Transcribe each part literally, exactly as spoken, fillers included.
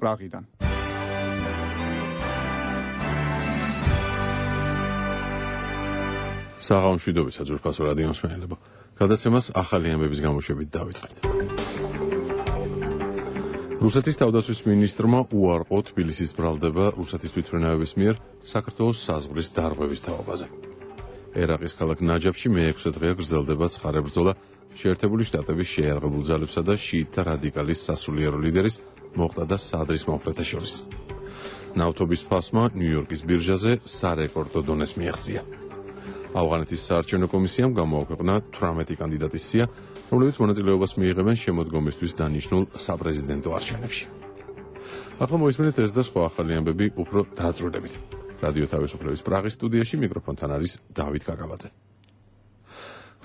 პრაღიდან. საღამოშვიდობისა ძვირფასო რადიო მსმენელებო. გადაცემას ახალი ამბების გამოშვებით დავიწყეთ. რუსეთის თავდაცვის მინისტრმა უარყო თბილისის ბრალდება რუსეთის თვითმფრინავების მიერ საქართველოს საზღვრის დარღვევის თაობაზე. ერაყის ქალაქ ნაჯაფში მეექვსე დღეა გრძელდება ცხარე ბრძოლა შეერთებული შტატების შეიარაღებულ ძალებსა და შიიტთა რადიკალის სასულიერო ლიდერის მოყტადა სადრის მომხრეთა შორის. ნავთობის ფასმა ნიუ-იორკის ბირჟაზე სარეკორდო დონეს მიაღწია. ავღანეთის საარჩევნო კომისიამ გამოაქვეყნა თვრამეტი კანდიდატის სია, რომლებიც მონაწილეობას მიიღებენ შემოდგომისთვის დანიშნულ საპრეზიდენტო არჩევნებში. ახლა მოისმენთ ეს და სხვა ახალი ამბები უფრო დაწვრილებით. რადიო თავისუფლების პრაღის სტუდიაში მიკროფონთან არის დავით კაკაბაძე.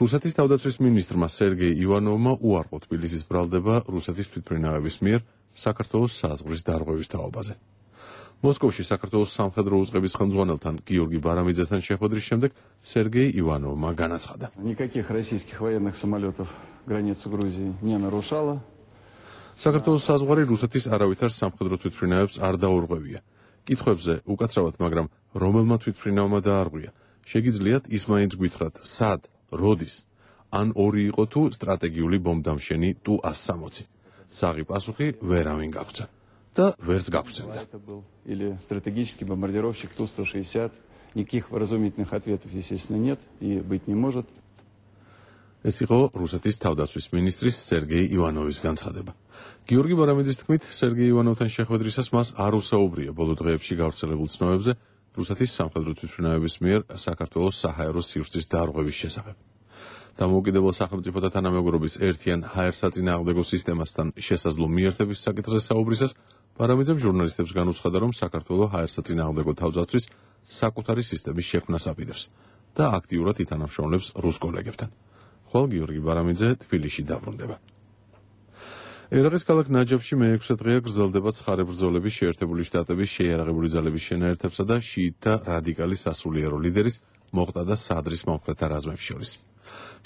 რუსეთის თავდაცვის მინისტრმა სერგეი ივანოვმა უარყო თბილისის ბრალდება რუსეთის თვითმფრინავების მიერ საქართველოს საზღვრის დარღვევის თაობაზე. მოსკოვში საქართველოს სამხედრო უწყების ხელმძღვანელთან გიორგი ბარამიძესთან შეხვედრის შემდეგ სერგეი ივანოვმა განაცხადა. Никаких российских военных самолетов границу Грузии не нарушало. საქართველოს საზღვარი რუსეთის არავითარ სამხედრო თვითმფრინავებს არ დაურღვევია. კითხვებზე უკაცრავად, მაგრამ რომელმა თვითმფრინავმა დაარღვია? შეგიძლიათ ის მაინც გითხრათ, სად, როდის? ან ორი იყო თუ სტრატეგიული ბომბდამშენი ტუ ას სამოცი? საღი პასუხი ვერავინ გაგვცა. და ვერც გაგვცემდა. Или стратегический бомбардировщик ту сто шестьдесят. Никаких вразумительных ответов, естественно, нет и быть не может. ეს იყო რუსეთის თავდაცვის მინისტრის სერგეი ივანოვის განცხადება. გიორგი ბარამიძის თქმით, სერგეი ივანოვთან შეხვედრისას მას არ უსაუბრია ბოლო დღეებში გავრცელებულ ცნობებზე რუსეთის სამხედრო თვითმფრინავების მიერ საქართველოს საჰაერო სივრცის დარღვევის შესახებ. დამოუკიდებელ სახელმწიფოთა თანამეგობრობის ერთიან ჰაერსაწინააღმდეგო სისტემასთან შესაძლო მიერთების საკითხზე საუბრისას ბარამიძემ ჟურნალისტებს განუცხადა, რომ საქართველოს ჰაერსაწინააღმდეგო თავდაცვის საკუთარი სისტემის შექმნას აპირებს და აქტიურად ითანამშრომლებს რუს კოლეგებთან. ხვალ გიორგი ბარამიძე თბილისში დაბრუნდება. ერაყის ქალაქ ნაჯაფში მეექვსე დღეა გრძელდება ცხარე ბრძოლები შეერთებული შტატების შეიარაღებული ძალების შენაერთებსა და შიიტთა რადიკალის სასულიერო ლიდერის მოყტადა სადრის მომხრეთა რაზმებს შორის.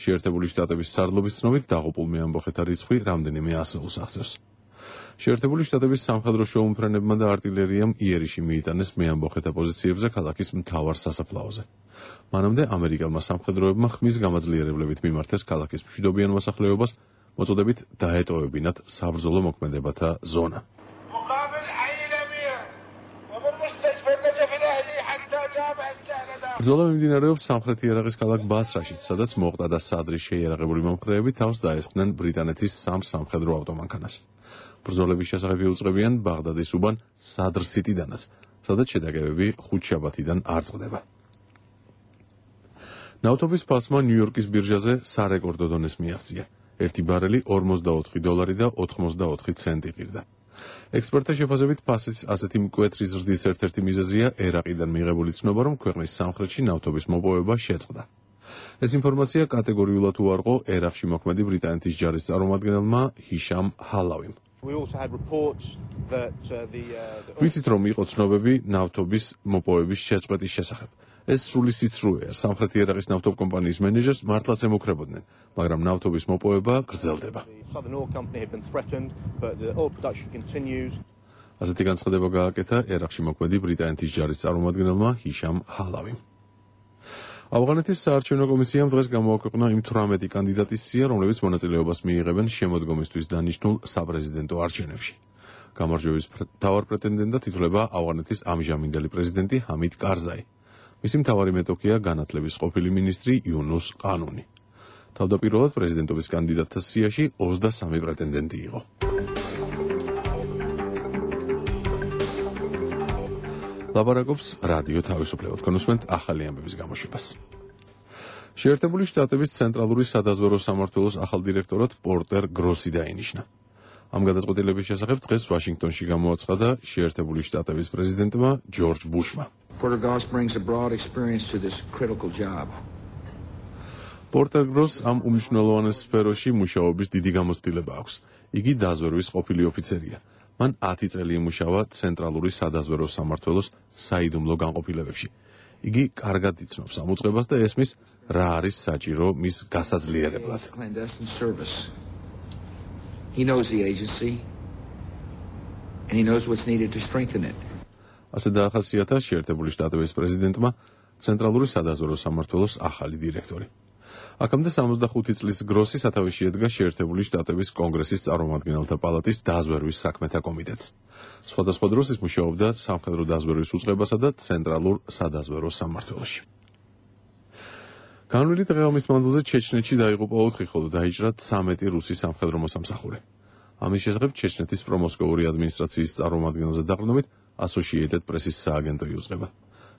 შეერთებული შტატების სარდლობის ცნობით დაღუპულმა ამბოხეთა რიცხვი რამდენიმე ასეულს აღწევს. შეერთებული შტატების სამხედრო შეუმფრენებმა და არტილერიამ იერიში მიიტანეს მეამბოხეთა პოზიციებზე ქალაქის მთავარ სასაფლაოზე. მანამდე ამერიკელმა სამხედროებმა ხმის გამაძლიერებლებით მიმართეს ქალაქის მშვიდობიან მოსახლეობას, მოწოდებით დაეტოვებინათ საბრძოლო მოქმედებათა ზონა. ბრძოლა მიმდინარეობს სამხრეთი ერაყის ქალაქ ბასრაშიც, სადაც მოყტადა სადრის შეიარაღებული მომხრეები თავს დაესხნენ ბრიტანეთის სამ სამხედრო ავტომანქანას. ბრძოლების შესახებ იუწყებიან ბაღდადის უბან სადრ სიტიდანაც, სადაც შეტაკებები ხუთშაბათიდან არ წყდება. ნავთობის ფასმა ნიუ-იორკის ბირჟაზე სარეკორდო დონეს მიაღწია. ერთი ბარელი ორმოცდაოთხი დოლარი და ოთხმოცდაოთხი ცენტი ღირდა. ექსპერტთა შეფასებით ფასის ასეთი მკვეთრი ზრდის ერთ-ერთი მიზეზია ერაყიდან მიღებული ცნობა, რომ ქვეყნის სამხრეთში ნავთობის მოპოვება შეწყდა. ეს ინფორმაცია კატეგორიულად უარყო ერაყში მოქმედი ბრიტანეთის ჯარის წარმომადგენელმა ჰიშამ ჰალავიმ. ვიცით, რომ იყო ცნობები ნავთობის მოპოვების შეწყვეტის შესახებ. ეს სრული სიცრუეა. სამხრეთი ერაყის ნავთობკომპანიის მენეჯერს მართლაც ემუქრებოდნენ, მაგრამ ნავთობის მოპოვება გრძელდება. ასეთი განცხადება გააკეთა ერაყში მოქმედი ბრიტანეთის ჯარის წარმომადგენელმა ჰიშამ ჰალავიმ. ავღანეთის საარჩევნო კომისიამ დღეს გამოაქვეყნა იმ თვრამეტი კანდიდატის სია, რომლებიც მონაწილეობას მიიღებენ შემოდგომისთვის დანიშნულ საპრეზიდენტო არჩევნებში. გამარჯვების მთავარ პრეტენდენტად ითვლება ავღანეთის ამჟამინდელი პრეზიდენტი ჰამიდ კარზაი. მისი მთავარი მეტოქეა განათლების ყოფილი მინისტრი იუნუს ყანუნი. თავდაპირველად პრეზიდენტობის კანდიდატთა სიაში ოცდასამი პრეტენდენტი იყო. ლაპარაკობს რადიო თავისუფლება. თქვენ უსმენთ ახალი ამბების გამოშვებას. შეერთებული შტატების ცენტრალური სადაზვერვო სამმართველოს ახალ დირექტორად პორტერ გროსი დაინიშნა. ამ გადაწყვეტილების შესახებ დღეს ვაშინგტონში გამოაცხადა შეერთებული შტატების პრეზიდენტმა ჯორჯ ბუშმა. Porter Gross brings a broad experience to this critical job. პორტერ გროს ამ უმნიშვნელოვანეს სფეროში მუშაობის დიდი გამოცდილება აქვს. იგი დაზვერვის ყოფილი ოფიცერია. მან ათი წელი იმუშავა ცენტრალური სადაზვერვო სამმართველოს საიდუმლო განყოფილებებში. იგი კარგად იცნობს ამ უწყებას და ესმის რა არის საჭირო მის გასაძლიერებლად. He knows the agency. and he knows what's needed to strengthen it. ასე დაახასიათა შეერთებული შტატების პრეზიდენტმა ცენტრალური სადაზვერო სამმართველოს ახალი დირექტორი. აქამდე სამოცდახუთი წლის გროსი სათავეში ედგა შეერთებული შტატების კონგრესის წარმომადგენელთა პალატის დაზვერვის საქმეთა კომიტეტს. სხვადასხვა დროს ის მუშაობდა სამხედრო დაზვერვის უწყებასა და ცენტრალურ სადაზვერო სამმართველოში. განვლილი დღეობის მანძილზე ჩეჩნეთში დაიღუპა ოთხი, ხოლო დაიჭრა ცამეტი რუსი სამხედრო მოსამსახური. ამის შესახებ ჩეჩნეთის პრომოსკოვური ადმინისტრაციის წარმომადგენელზე დაყრდნობით Associated Press-ის სააგენტო იუწყება.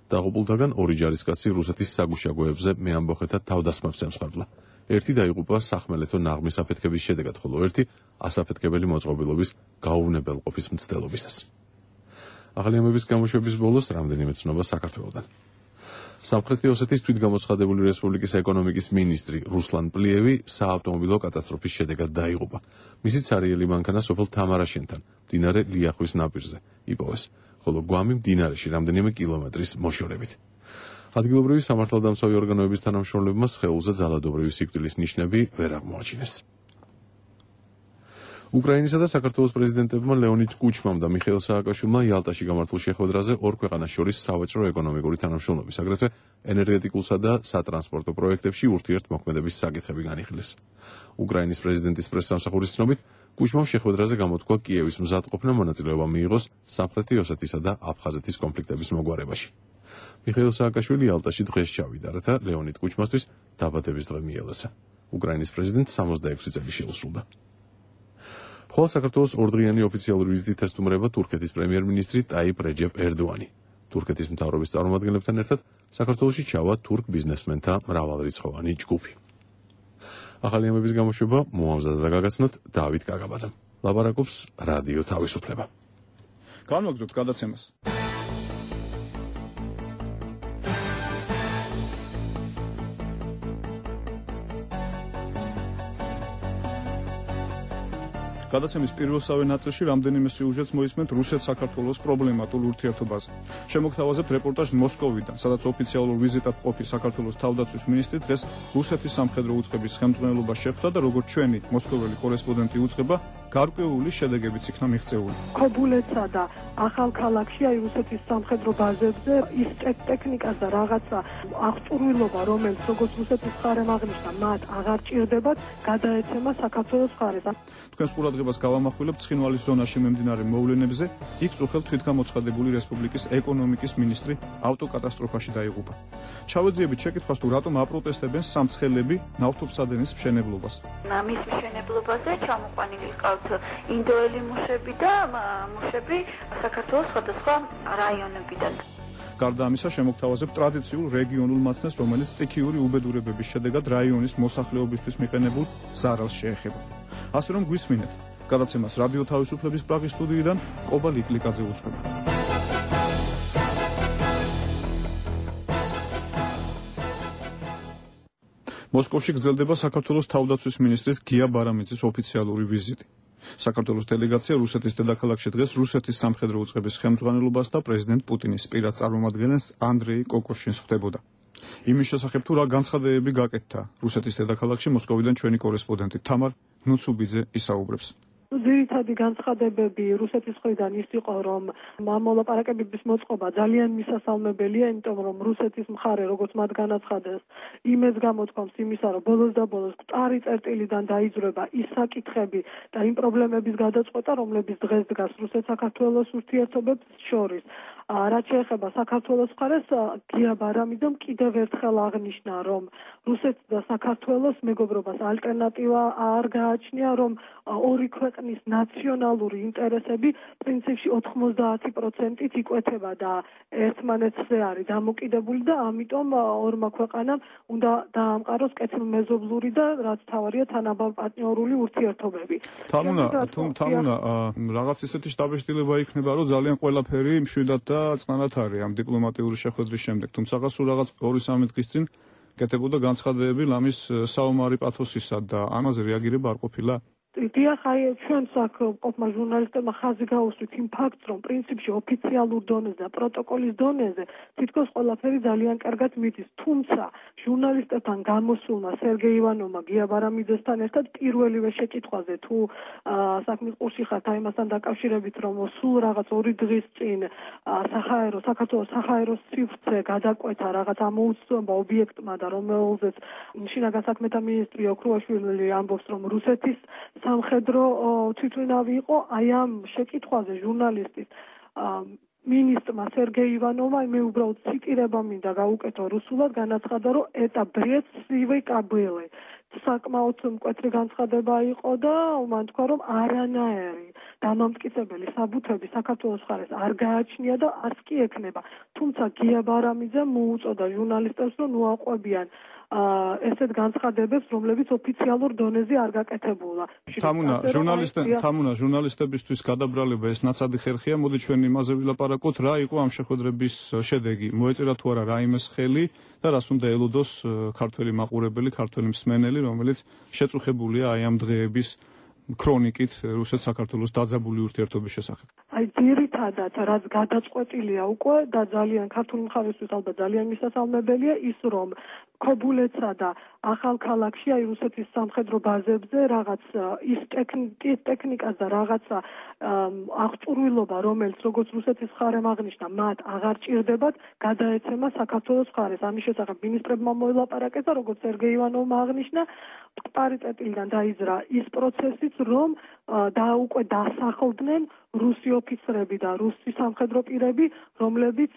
დაღუპულთაგან ორი ჯარისკაცი რუსეთის საგუშაგოებზე მეამბოხეთა თავდასხმებს ემსხვერპლა. ერთი დაიღუპა სახმელეთო ნაღმის აფეთქების შედეგად, ხოლო ერთი ასაფეთქებელი მოწყობილობის გაუვნებელყოფის მცდელობისას. ახალი ამბების გამოშვების ბოლოს რამდენიმე ცნობა საქართველოდან. სამხრეთი ოსეთის თვითგამოცხადებული რესპუბლიკის ეკონომიკის მინისტრი რუსლან პლიევი საავტომობილო კატასტროფის შედეგად დაიღუპა. მისი ცარიელი მანქანა სოფელ თამარაშენთან, მდინარე ლიახვის ნაპირზე, იპოვეს, ხოლო გვამი მდინარეში რამდენიმე კილომეტრის მოშორებით. ადგილობრივი სამართალდამცავი ორგანოების თანამშრომლებმა სხეულზე ძალადობრივი სიკვდილის ნიშნები ვერ აღმოაჩინეს. უკრაინისა და საქართველოს პრეზიდენტებმა ლეონიდ კუჩმამ და მიხეილ სააკაშვილმა იალტაში გამართულ შეხვედრაზე ორ ქვეყანას შორის სავაჭრო ეკონომიკური თანამშრომლობის, აგრეთვე ენერგეტიკულსა და სატრანსპორტო პროექტებში ურთიერთმოქმედების საკითხები განიხილეს. უკრაინის პრეზიდენტის პრესსამსახურის ცნობით, კუჩმამ შეხვედრაზე გამოთქვა კიევის მზადყოფნა მონაწილეობა მიიღოს სამხრეთი ოსეთისა და აფხაზეთის კონფლიქტების მოგვარებაში. მიხეილ სააკაშვილი იალტაში დღეს ჩავიდა, რათა ლეონიდ კუჩმასთვის დაბადების დღე მიელოცა. უკრაინის პრეზიდენტს სამოცდაექვსი წელი შეუსრულდა. ხოლო საქართველოს ორდღიანი ოფიციალური ვიზიტით ესტუმრება თურქეთის პრემიერ-მინისტრი ტაიპ რეჯეპ ერდოანი. თურქეთის მთავრობის წარმომადგენლებთან ერთად საქართველოში ჩავა თურქ ბიზნესმენთა მრავალრიცხოვანი ჯგუფი. ახალი ამბების გამოშვება მოამზადა და გაგაცნოთ დავით კაგაბაძემ. ლაპარაკობს რადიო თავისუფლება. განვაგრძობთ გადაცემას. გადაცემის პირველსავე ნაწილში რამდენიმე სიუჟეტს მოისმენთ რუსეთ-საქართველოს პრობლემატურ ურთიერთობაზე. შემოგთავაზებთ რეპორტაჟს მოსკოვიდან, სადაც ოფიციალურ ვიზიტად ყოფი საქართველოს თავდაცვის მინისტრი დღეს რუსეთის სამხედრო უწყების ხელმძღვანელობას შეხვდა და როგორც ჩვენი მოსკოველი კორესპონდენტი უწყება, გარკვეული შედეგებიც იქნა მიღწეული. ქობულეთსა და ახალქალაქში აი რუსეთის სამხედრო ბაზებზე ის ტექნიკას და რაღაცა აღჭურვილობა, რომელიც როგორც რუსეთის მხარემ აღნიშნა, მათ აღარ ჭირდებათ, გადაეცემა საქართველოს მხარეს. თქვენს ყურადღებას გავამახვილებთ ცხინვალის ზონაში მიმდინარე მოვლენებზე. იქ წუხელ თვითგამოცხადებული რესპუბლიკის ეკონომიკის მინისტრი ავტოკატასტროფაში დაიღუპა. ჩავეძიებით შეკითხვას, თუ რატომ აპროტესტებენ სამცხელები ნავთობსადენის მშენებლობას. მის მშენებლობაზე ჩამოყვანილი ყავთ ინდოელი მუშები და მუშები საქართველოს სხვადასხვა რაიონებიდან. გარდა ამისა, შემოგთავაზებთ ტრადიციულ რეგიონულ მაცნეს, რომელიც სტიქიური უბედურებების შედეგად რაიონის მოსახლეობისთვის მიყენებულ ზარალს შეეხება. ასე რომ გვისმინეთ, გადაცემას რადიო თავისუფლების პრაღის სტუდიიდან ყობა ლიკლიკაძე უწყება. მოსკოვში გრძელდება საქართველოს თავდაცვის მინისტრის გია ბარამიძის ოფიციალური ვიზიტი. საქართველოს დელეგაცია რუსეთის დედაქალაქში დღეს რუსეთის სამხედრო უწყების ხელმძღვანელობას და პრეზიდენტ პუტინის პირად წარმომადგენელს ანდრეი კოკოშინს ხვდებოდა. იმის შესახებ თუ რა განცხადებები გაკეთდა რუსეთის დედაქალაქში მოსკოვიდან ჩვენი კორესპონდენტი თამარ ნუცუბიძე ისაუბრებს. ძირითადი განცხადებები რუსეთის მხრიდან ის იყო, რომ ამ მოლაპარაკებების მოწყობა ძალიან მისასალმებელია, იმიტომ რომ რუსეთის მხარე, როგორც მათ განაცხადეს, იმეც გამოთქვამს იმისა, რომ ბოლოს და ბოლოს მკვდარი წერტილიდან დაიძვრება ის საკითხები და იმ პრობლემების გადაწყვეტა, რომლებიც დღეს დგას რუსეთ-საქართველოს ურთიერთობებს შორის. რაც შეეხება საქართველოს მხარეს, გია ბარამიძემ კიდევ ერთხელ აღნიშნა, რომ რუსეთს და საქართველოს მეგობრობას ალტერნატივა არ გააჩნია, რომ ორი ქვეყნის ნაციონალური ინტერესები პრინციპში ოთხმოცდაათი პროცენტით იკვეთება და ერთმანეთზე არის დამოკიდებული და ამიტომ ორმა ქვეყანამ უნდა დაამყაროს კეთილმეზობლური და რაც თავარია თანაბარ-პარტნიორული ურთიერთობები. თამუნა, თამუნა, რაღაც ისეთი შტაბეშტილება იქნება, რომ ძალიან ყველაფერი მშვიდად და წყნარად არის ამ დიპლომატიური შეხვედრის შემდეგ. თუმცა სულ რაღაც ორი სამი დღის წინ კეთებოდა განცხადებები ლამის საომარი პათოსისა და ამაზე რეაგირება არ ყოფილა. დიახ, აი ჩვენც აქ ყოფმა ჟურნალისტებმა ხაზი გაუსვით იმ ფაქტს, რომ პრინციპში ოფიციალურ დონეზე და პროტოკოლის დონეზე თითქოს ყველაფერი ძალიან კარგად მიდის. თუმცა ჟურნალისტებთან გამოსულმა სერგეი ივანოვმა გია ბარამიძესთან ერთად პირველივე შეკითხვაზე თუ საქმის ყურში ხართ აი მასთან დაკავშირებით, რომ სულ რაღაც ორი დღის წინ საჰაერო საქართველოს საჰაეროს სივრცე გადაკვეთა რაღაც ამოუცნობ ობიექტმა და რომელზეც შინაგან საქმეთა მინისტრი ოქრუაშვილი ამბობს, რომ რუსეთის სამხედრო თვითმფრინავი იყო. აი ამ შეკითხვაზე ჟურნალისტის მინისტრმა სერგეი ივანოვმა მე უბრალოდ ციტირება მინდა გავუკეთო რუსულად, განაცხადა, რომ это бред сивой кобылы. საკმაოდ მკვეთრი განცხადება იყო და მან თქვა, რომ არანაირი დამამტკიცებელი საბუთები საქართველოს მხარეს არ გააჩნია და არც კი ექნება. თუმცა გია ბარამიძემ მოუწოდა ჟურნალისტებს, რომ მოაყვებიან ესეთ განცხადებებს, რომლებიც ოფიციალურ დონეზე არ გაკეთებულა. თამუნა, ჟურნალისტები, თამუნა, ჟურნალისტებისთვის გადაბრალება ეს ნაცადი ხერხია. მოდი ჩვენ იმაზე ვილაპარაკოთ, რა იყო ამ შეხვედრების შედეგი. მოეწერა თუ არა რაიმეს ხელი და რას უნდა ელოდოს ქართველი მაყურებელი, ქართველი მსმენელი, რომელიც შეწუხებულია აი ამ დღეების ქრონიკით რუსეთ-საქართველოს დაძაბული ურთიერთობის შესახებ. აი ძირითადად რაც გადაწყვეტილია უკვე და ძალიან ქართული მხარისთვის ალბათ ძალიან მისასალმებელია ის, რომ ქობულეთსა და ახალქალაქში აი რუსეთის სამხედრო ბაზებზე რაღაც ის ტექნიკას და რაღაცა აღჭურვილობა, რომელიც როგორც რუსეთის მხარემ აღნიშნა, მათ აღარ ჭირდებათ, გადაეცემა საქართველოს მხარეს. ამის შესახებ მინისტრებმა მოელაპარაკეს და როგორც სერგეი ივანოვმა აღნიშნა, პარიტეტიდან დაიძრა ის პროცესიც, რომ და უკვე დასახლდნენ რუსი ოფიცრები და რუსი სამხედრო პირები, რომლებიც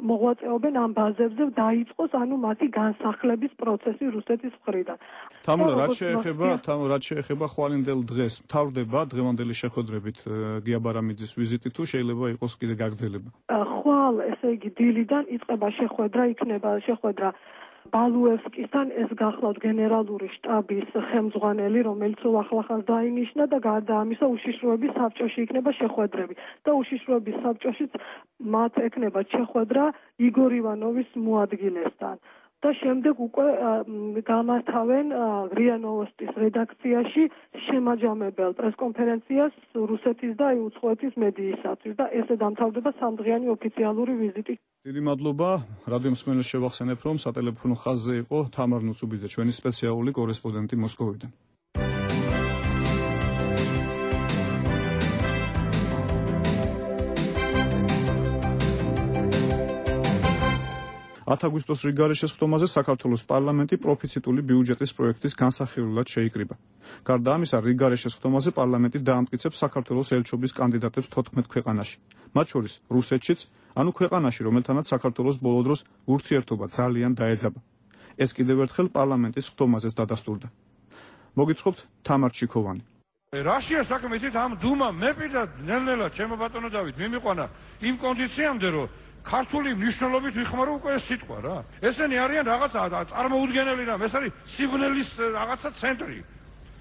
მოღვაწეობენ ამ ბაზებზე, დაიწყოს ანუ მათი განსახლების პროცესი რუსეთის მხრიდან. თამუნა, რაც შეეხება, თამუნა, რაც შეეხება ხვალინდელ დღეს, მთავრდება დღევანდელი შეხვედრებით გია ბარამიძის ვიზიტი თუ შეიძლება იყოს კიდე გაგრძელება? ხვალ, ესე იგი დილიდან იწყება შეხვედრა, იქნება შეხვედრა ბალუევსკისთან, ეს გახლავთ გენერალური შტაბის ხელმძღვანელი, რომელიც ახლახანს დაინიშნა და გარდა ამისა უშიშროების საბჭოში იქნება შეხვედრები და უშიშროების საბჭოშიც მათ ექნება შეხვედრა იგორ ივანოვის მოადგილესთან. და შემდეგ უკვე გამართავენ რია ნოვოსტის რედაქციაში შემაჯამებელ პრესკონფერენციას რუსეთის და უცხოეთის მედიისათვის და ესე დამთავრდება სამდღიანი ოფიციალური ვიზიტი. დიდი მადლობა. რადიო მსმენელს შევახსენებ, რომ სატელეფონო ხაზზე იყო თამარ ნუცუბიძე, ჩვენი სპეციალური კორესპონდენტი მოსკოვიდან. ათ აგვისტოს რიგარის შესხდომაზე საქართველოს პარლამენტი პროფიციტული ბიუჯეტის პროექტის განსახილველად შეიკრიბა. გარდა ამისა, რიგარის შესხდომაზე პარლამენტი დაამტკიცებს საქართველოს ელჩობის კანდიდატებს თოთხმეტ ქვეყანაში, მათ შორის რუსეთშიც, ანუ ქვეყანაში, რომელთანაც საქართველოს ბოლო დროს ურთიერთობა ძალიან დაეძაბა. ეს კიდევ ერთხელ პარლამენტის ხდომაზეც დადასტურდა. მოგიწყობთ თამარ ჩიქოვანი. რაშია საქმე იცით ამ დუმამ მე პირდად ნელ-ნელა ჩემო ბატონო დავით მიმიყვანა იმ კონდიციამდე რომ ქართული მნიშვნელობით ვიხმარო უკვე ეს სიტყვა რა. ესენი არიან რაღაცა წარმოუდგენელი რამ, ეს არის სიგნალის რაღაცა ცენტრი,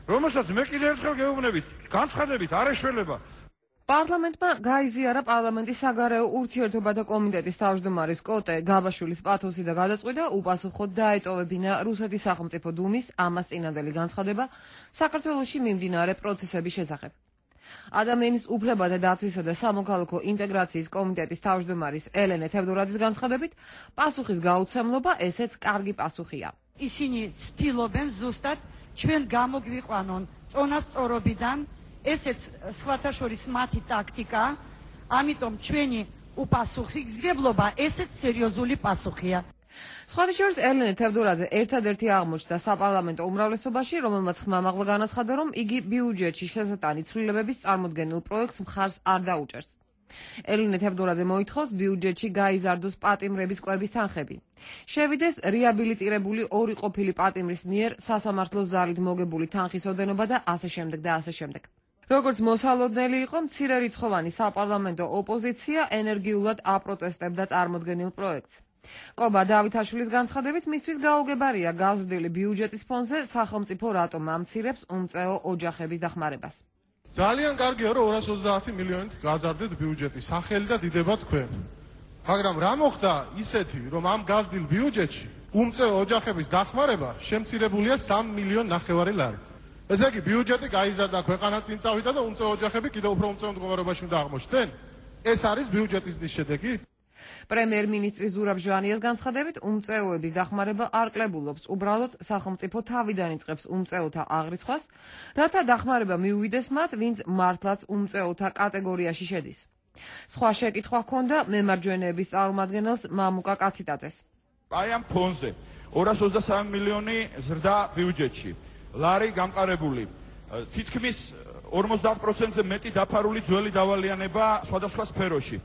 რომელსაც მე კიდევ ერთხელ გეუბნებით, განცხადებით არ ეშველება. პარლამენტმა გაიზიარა პარლამენტის საგარეო ურთიერთობათა კომიტეტის თავმჯდომარის კოტე გაბაშვილის პათოსი და გადაწყვიტა უპასუხოდ დაეტოვებინა რუსეთის სახელმწიფო დუმის ამას წინანდელი განცხადება საქართველოში მიმდინარე პროცესების შესახებ. ადამიანის უფლებათა დაცვისა და სამოქალაქო ინტეგრაციის კომიტეტის თავმჯდომარის ელენე თევდორაძის განცხადებით, პასუხის გაუცემლობა ესეც კარგი პასუხია. ისინი ცდილობენ ზუსტად ჩვენ გამოგვიყვანონ წონასწორობიდან, ესეც სხვათა შორის მათი ტაქტიკა, ამიტომ ჩვენი უპასუხისმგებლობა ესეც სერიოზული პასუხია. სხვათა შორის ელენე თევდორაძე ერთადერთი აღმოჩნდა საპარლამენტო უმრავლესობაში, რომელმაც ხმამაღლა განაცხადა, რომ იგი ბიუჯეტში შესატანი ცვლილებების წარმოდგენილ პროექტს მხარს არ დაუჭერს. ელენე თევდორაძე მოითხოვს ბიუჯეტში გაიზარდოს პატიმრების კვების თანხები. შევიდეს რეაბილიტირებული ორი ყოფილი პატიმრის მიერ სასამართლოს ზალით მოგებული თანხის ოდენობა და ასე შემდეგ და ასე შემდეგ. როგორც მოსალოდნელი იყო, მცირერიცხოვანი საპარლამენტო ოპოზიცია ენერგიულად აპროტესტებდა წარმოდგენილ პროექტს. კობა დავითაშვილის განცხადებით, მისთვის გაუგებარია გაზრდილი ბიუჯეტის ფონზე სახელმწიფო რატომ ამცირებს უმწეო ოჯახების დახმარებას. ძალიან კარგია, რომ ორას ოცდაათი მილიონით გაზარდეთ ბიუჯეტი, სახელი და დიდება თქვენ. მაგრამ რა მოხდა ისეთი, რომ ამ გაზრდილ ბიუჯეტში უმწეო ოჯახების დახმარება შემცირებულია სამი მილიონი ნახევარი ლარი. ესე იგი ბიუჯეტი გაიზარდა, ქვეყანა წინ წავიდა და უმწეო ოჯახები კიდევ უფრო უმწეო მდგომარეობაში უნდა აღმოჩნდნენ. ეს არის ბიუჯეტის შედეგი? პრემიერ-მინისტრი ზურაბ ჟვანიას განცხადებით, უმწეოების დახმარება არ კლებულობს. უბრალოდ სახელმწიფო თავიდან იწყებს უმწეოთა აღრიცხვას, რათა დახმარება მიუვიდეს მათ, ვინც მართლაც უმწეოთა კატეგორიაში შედის. სხვა შეკითხვა ჰქონდა მემარჯვენეების წარმომადგენელს მამუკა კაციტაძეს. აი ამ ფონზე ორას ოცდასამი მილიონი ზრდა ბიუჯეტში. ლარი გამყარებული. თითქმის ორმოცდაათ პროცენტზე მეტი დაფარული ძველი დავალიანება სხვადასხვა სფეროში.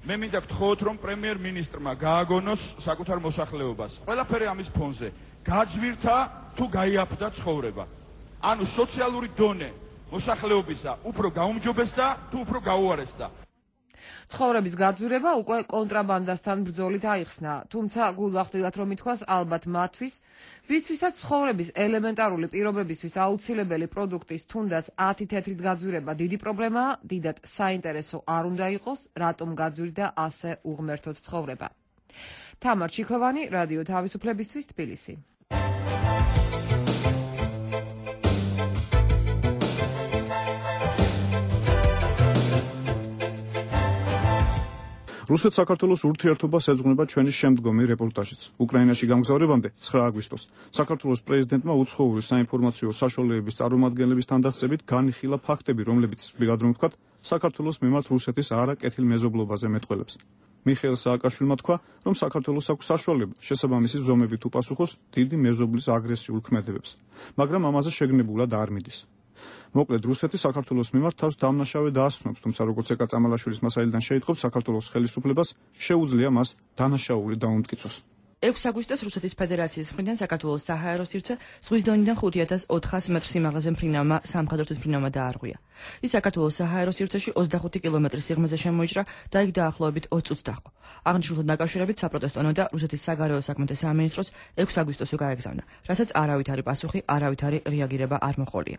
მე მინდა გთხოვოთ, რომ პრემიერ-მინისტრმა გააგონოს საკუთარ მოსახლეობას. ყველაფერი ამის ფონზე გაძვირთა თუ გაიაფთა ცხოვრება. ანუ სოციალური დონე მოსახლეობისა უფრო გაუმჯობესდა თუ უფრო გაუარესდა. ცხოვრების გაძვირება უკვე კონტრაბანდასთან ბრძოლით აიხსნა, თუმცა გულახდილად რომ ითქვას, ალბათ მათთვის, ვისთვისაც ცხოვრების ელემენტარული პირობებისთვის აუცილებელი პროდუქტის თუნდაც ათი თეთრით გაძვირება დიდი პრობლემაა, დიდად საინტერესო არ უნდა იყოს, რატომ გაძვირდა ასე უღმერთოდ ცხოვრება. თამარ ჩიქოვანი, რადიო თავისუფლებისთვის, თბილისი. რუსეთ-საქართველოს ურთიერთობას ეძღვნება ჩვენი შემდგომი რეპორტაჟიც. უკრაინაში გამგზავრებამდე ცხრა აგვისტოს საქართველოს პრეზიდენტმა უცხოური საინფორმაციო საშუალებების წარმომადგენლების თანდასწრებით განიხილა ფაქტები, რომლებიც ცვლილად რომ ვთქვათ, საქართველოს მიმართ რუსეთის არაკეთილ მეზობლობაზე მეტყველებს. მიხეილ სააკაშვილმა თქვა, რომ საქართველოს აქვს საშუალება შესაბამისი ზომებით უპასუხოს დიდი მეზობლის აგრესიულ ქმედებებს, მაგრამ ამაზე შეგნებულად არ მიდის. მოკლედ, რუსეთი საქართველოს მიმართ თავს დამნაშავე დაასვენებს, თუმცა როგორც ეკა წამალაშვილის მასალიდან შეიტყობს, საქართველოს ხელისუფლებას შეუძლია მას დანაშაული დაუმტკიცოს. ექვსი აგვისტოს რუსეთის ფედერაციის მხრიდან საქართველოს საჰაერო სივრცე ზღვის დონიდან ხუთი ათას ოთხას მეტრ სიმაღლეზე მფრინავმა სამხედრო თვითმფრინავმა დაარღვია. ის საქართველოს საჰაერო სივრცეში ოცდახუთი კილომეტრის სიღრმეზე შემოიჭრა და იქ დაახლოებით ოცი წუთს დაჰყო. აღნიშნულთან დაკავშირებით საპროტესტო ნოდა რუსეთის საგარეო საქმეთა სამინისტროს ექვსი აგვისტოსზე გაეგზავნა, რასაც არავით არის პასუხი, არავით არის რეაგირება არ მოყოლია.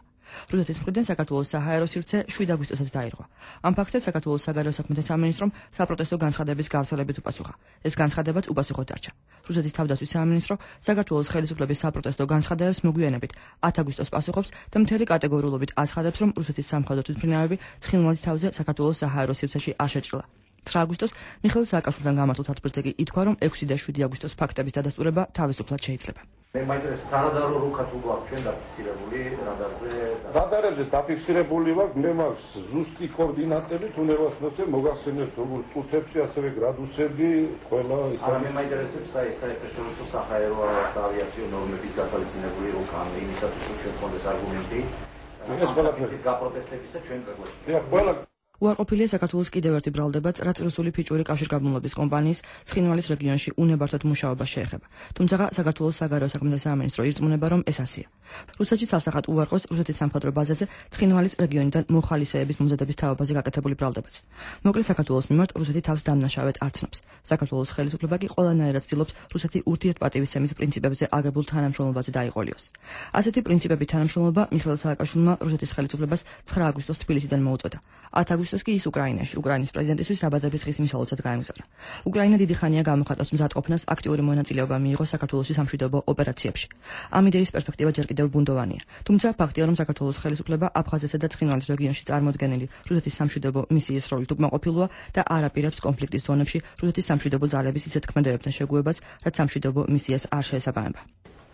რუსეთის მხრიდან საქართველოს საჰაერო სივრცე შვიდ აგვისტოსაც დაირღვა. ამ ფაქტზე საქართველოს საგარეო საქმეთა სამინისტრომ საპროტესტო განცხადების გავრცელებით უპასუხა. ეს განცხადებაც უპასუხოდ დარჩა. რუსეთის თავდაცვის სამინისტრო საქართველოს ხელისუფლების საპროტესტო განცხადებებს მოგვიანებით ათი აგვისტოს პასუხობს და მთელი კატეგორიულობით აცხადებს, რომ რუსეთის სამხედრო თვითმფრინავები ცხინვალის თავზე საქართველოს საჰაერო სივრცეში არ შეჭრილა. ცხრა აგვისტოს მიხეილ სააკაშვილთან გამართულ თათბირთზე კი ითქვა, რომ ექვსი და შვიდი აგვისტოს ფაქტების დადასტურება თავისუფლად შეიძლება. მე მაინტერესებს სარადარო რუკა თუ გვაქვს ჩვენ დაფიქსირებული რადარზე? რადარებზე დაფიქსირებული ვაქვს, მე მაქვს ზუსტი კოორდინატები, თუნდაც ნოცე მოგახსენებთ როგორც წუთებში, ასევე გრადუსები, ყველა ის. არა, მე მაინტერესებს აი საერთაშორისო საჰაერო ავიაციო ნორმების გათვალისწინებული რუკა, ანუ იმისათვის რომ ჩვენ გქონდეს არგუმენტი. ეს ყველაფერი გაპროტესტებისა ჩვენ გვაქვს. დიახ, ყველა უარყოფილია საქართველოს კიდევ ერთი ბრალდებაც, რაც რუსული ფიჭური კავშირგაბმულობის კომპანიის ცხინვალის რეგიონში უნებართვად მუშაობას შეეხება. თუმცა საქართველოს საგარეო საქმეთა სამინისტრო ირწმუნება, რომ ეს ასეა. რუსეთში ცალსახად უარყოს რუსეთის სამხედრო ბაზაზე ცხინვალის რეგიონიდან მოხალისეების მომზადების თაობაზე გაკეთებული ბრალდებაც. მოკლედ საქართველოს მიმართ რუსეთი თავს დამნაშავედ არ ცნობს. საქართველოს ხელისუფლება კი ყველანაირად ცდილობს რუსეთი ურთიერთპატივისცემის პრინციპებზე აგებულ თანამშრომლობაზე დაიყოლიოს. ასეთი პრინციპებით თანამშრომლობა მიხეილ სააკაშვილმა რუსეთის ხელისუფლებას ცხრა აგვისტოს თბილისიდან მოუწოდა. ათი აგვისტოს კი ის უკრაინაში, უკრაინის პრეზიდენტისთვის საბადების ხის მისალოცად გაემგზავრა. უკრაინა დიდი ხანია გამოხატავს მზადყოფნას, აქტიური მონაწილეობა მიიღო საქართველოს სამშვიდობო ოპერაციებში. ამ იდეის პერსპექტივა ჯერ კიდევ ბუნდოვანია. თუმცა ფაქტია, რომ საქართველოს ხელისუფლება აფხაზეთსა და ცხინვალის რეგიონში წარმოდგენილი რუსეთის სამშვიდობო მისიის როლით უკმაყოფილოა და არ აპირებს კონფლიქტის ზონებში რუსეთის სამშვიდობო ძალების ისეთ ქმედებებთან შეგუებას, რაც самშვიდობო მისიას არ შეესაბამება.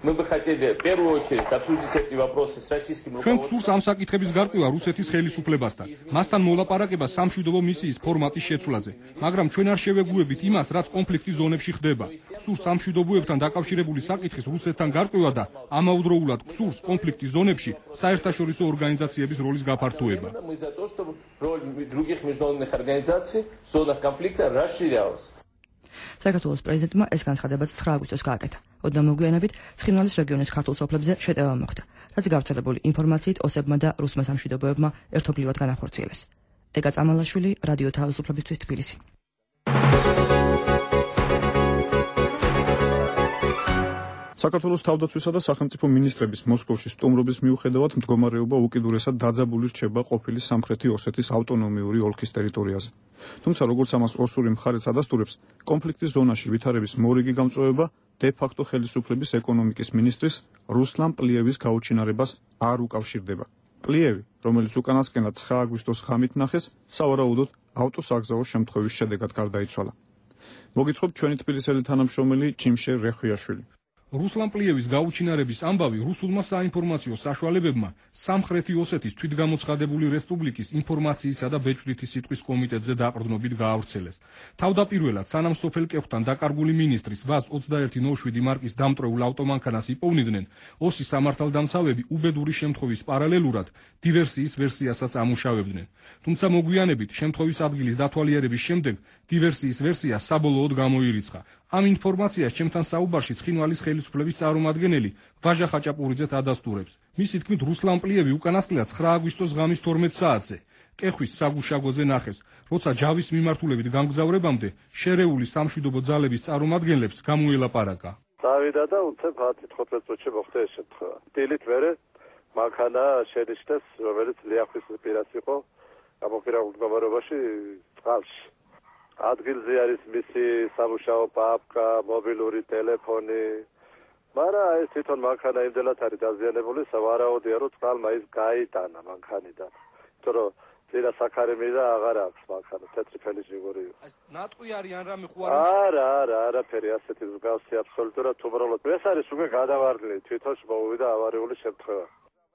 Мы бы хотели в первую очередь обсудить эти вопросы с российским ჩვენ გსურს ამ საკითხების გარკვევა რუსეთის ხელისუფლებასთან. მასთან მოლაპარაკება სამშვიდობო მისიის ფორმატის შეცვლაზე, მაგრამ ჩვენ არ შევეგუებით იმას, რაც კონფლიქტის ზონებში ხდება. გსურს სამშვიდობოებთან დაკავშირებული საკითხის რუსეთთან გარკვევა და ამავდროულად გსურს კონფლიქტის ზონებში საერთაშორისო ორგანიზაციების როლის გაფართოება. Мы за то, чтобы роль других международных организаций в зонах конфликта расширялась. საქართველოს პრეზიდენტმა ეს განცხადებაც ცხრა აგვისტოს გააკეთა. ოდნა მოგვიანებით ცხინვალის რეგიონის ქართულ სოფლებზე შეტევა მოხდა, რაც გავრცელებული ინფორმაციით ოსებმა და რუსმა სამშვიდობოებმა ერთობლივად განახორციელეს. ეკა წამალაშვილი, რადიო თავისუფლებისთვის, თბილისი. საქართველოს თავდაცვისა და სახელმწიფო მინისტრების მოსკოვში სტუმრობის მიუხედავად მდგომარეობა უკიდურესად დაძაბული რჩება ყოფილი სამხრეთი ოსეთის ავტონომიური ოლქის ტერიტორიაზე. თუმცა როგორც ამას ოსური მხარეც ადასტურებს, კონფლიქტის ზონაში ვითარების მორიგი გამწვევება დე-ფაქტო ხელისუფლების ეკონომიკის მინისტრის რუსლან პლიევის გაუჩინარებას არ უკავშირდება. პლიევი, რომელიც უკანასკნელად ცხრა აგვისტოს ღამით ნახეს, სავარაუდოდ ავტოსაგზაო შემთხვევის შედეგად გარდაიცვალა. მოგითხრობთ ჩვენი თბილისელი თანამშრომელი ჯიმშე რეხვიაშვილი. რუსლან პლიევის გაუჩინარების ამბავი რუსულმა საინფორმაციო საშუალებებმა სამხრეთი ოსეთის თვითგამოცხადებული რესპუბლიკის ინფორმაციისა და ბეჭდვითი სიტყვის კომიტეტზე დაყრდნობით გაავრცელეს. თავდაპირველად სანამ სოფელ კეხვთან დაკარგული მინისტრის ვაზ ოცდაერთი ნოშვიდი მარკის დამტრეულ ავტომანქანას იპოვნიდნენ, ოსის სამართალდამცავები უბედური შემთხვევის პარალელურად დივერსიის ვერსიასაც ამუშავებდნენ. თუმცა მოგვიანებით შემთხვევის ადგილის დათვალიერების შემდეგ დივერსიის ვერსია საბოლოოდ გამოირიცხა. ამ ინფორმაციას ჩემთან საუბარში ცხინვალის ხელისუფლების წარმომადგენელი ვაჟა ხაჭაპურიძეთ ადასტურებს. მისი თქმით, რუსლან პლიევი უკანასკნელად ცხრა აგვისტოს ღამის თორმეტ საათზე კეხვის საგუშაგოზე ნახეს, როცა ჯავის მიმართულებით გამგზავრებამდე შერეული სამშვიდობო ძალების წარმომადგენლებს გამოელაპარაკა. დავიდა და უცებ ათი-თხუთმეტ წუთში მოხდა ეს შემთხვევა. დილით მერე მანქანა შენიშნეს, რომელიც ლიახვის პირას იყო, გამოფირებულ მდგომარეობაში წყალში. ადგილზე არის მისი სამუშაო პაპკა, მობილური ტელეფონი. მაგრამ ეს თვითონ მანქანა იმდენად არის დაზიანებული, სავარაუდოა, რომ წყალმა ის გაიტანა მანქანიდან. იმიტომ რომ ძირა საქარი მიდა აღარ აქვს მანქანა, თეთრი ფენის ჯიგური. ნატყვი არის ან რამე ხო არის? არა, არა, არაფერი ასეთი მსგავსი აბსოლუტურად უბრალოდ. ეს არის უკვე გადავარდნილი, თვითონ მოვიდა ავარიული შემთხვევა.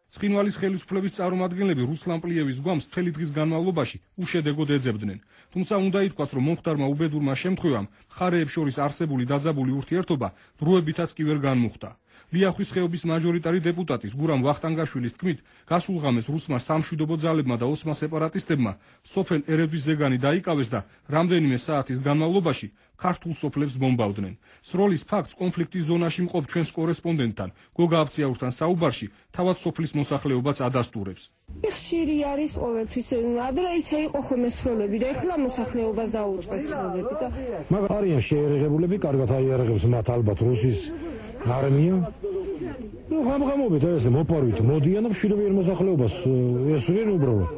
ცხინვალის ხელისუფლების წარმომადგენლები რუსლან პლიევის გვამს მთელი დღის განმავლობაში უშედეგოდ ეძებდნენ. თუმცა უნდა ითქვას, რომ მომხდარმა უბედურმა შემთხვევამ მხარეებს შორის არსებული დაძაბული ურთიერთობა დროებითაც კი ვერ განმუხტა. ლიახვის ხეობის მაჟორიტარი დეპუტატის გურამ ვახტანგაშვილის თქმით, გასულ ღამეს რუსმა სამშვიდობო ძალებმა და ოსმა სეპარატისტებმა სოფელ ერედვის ზეგანი დაიკავეს და რამდენიმე საათის განმავლობაში ქართულ სოფლებს ბომბავდნენ. სროლის ფაქტს კონფლიქტის ზონაში მყოფ ჩვენს კორესპონდენტთან გოგა აბციაურთან საუბარში თავად სოფლის მოსახლეობაც ადასტურებს. ხშირი არის ყოველთვის. ადრე ისე იყო ხოლმე სროლები და ეხლა მოსახლეობას დაუწყეს სროლები და მაგრამ არიან შეერაღებულები, კარგად აიარაღებს მათ ალბათ რუსის არმია. ну ხამხამობით ეს მოპარვით მოდიან და ხშირი მოსახლეობას ესვრიან უბრალოდ.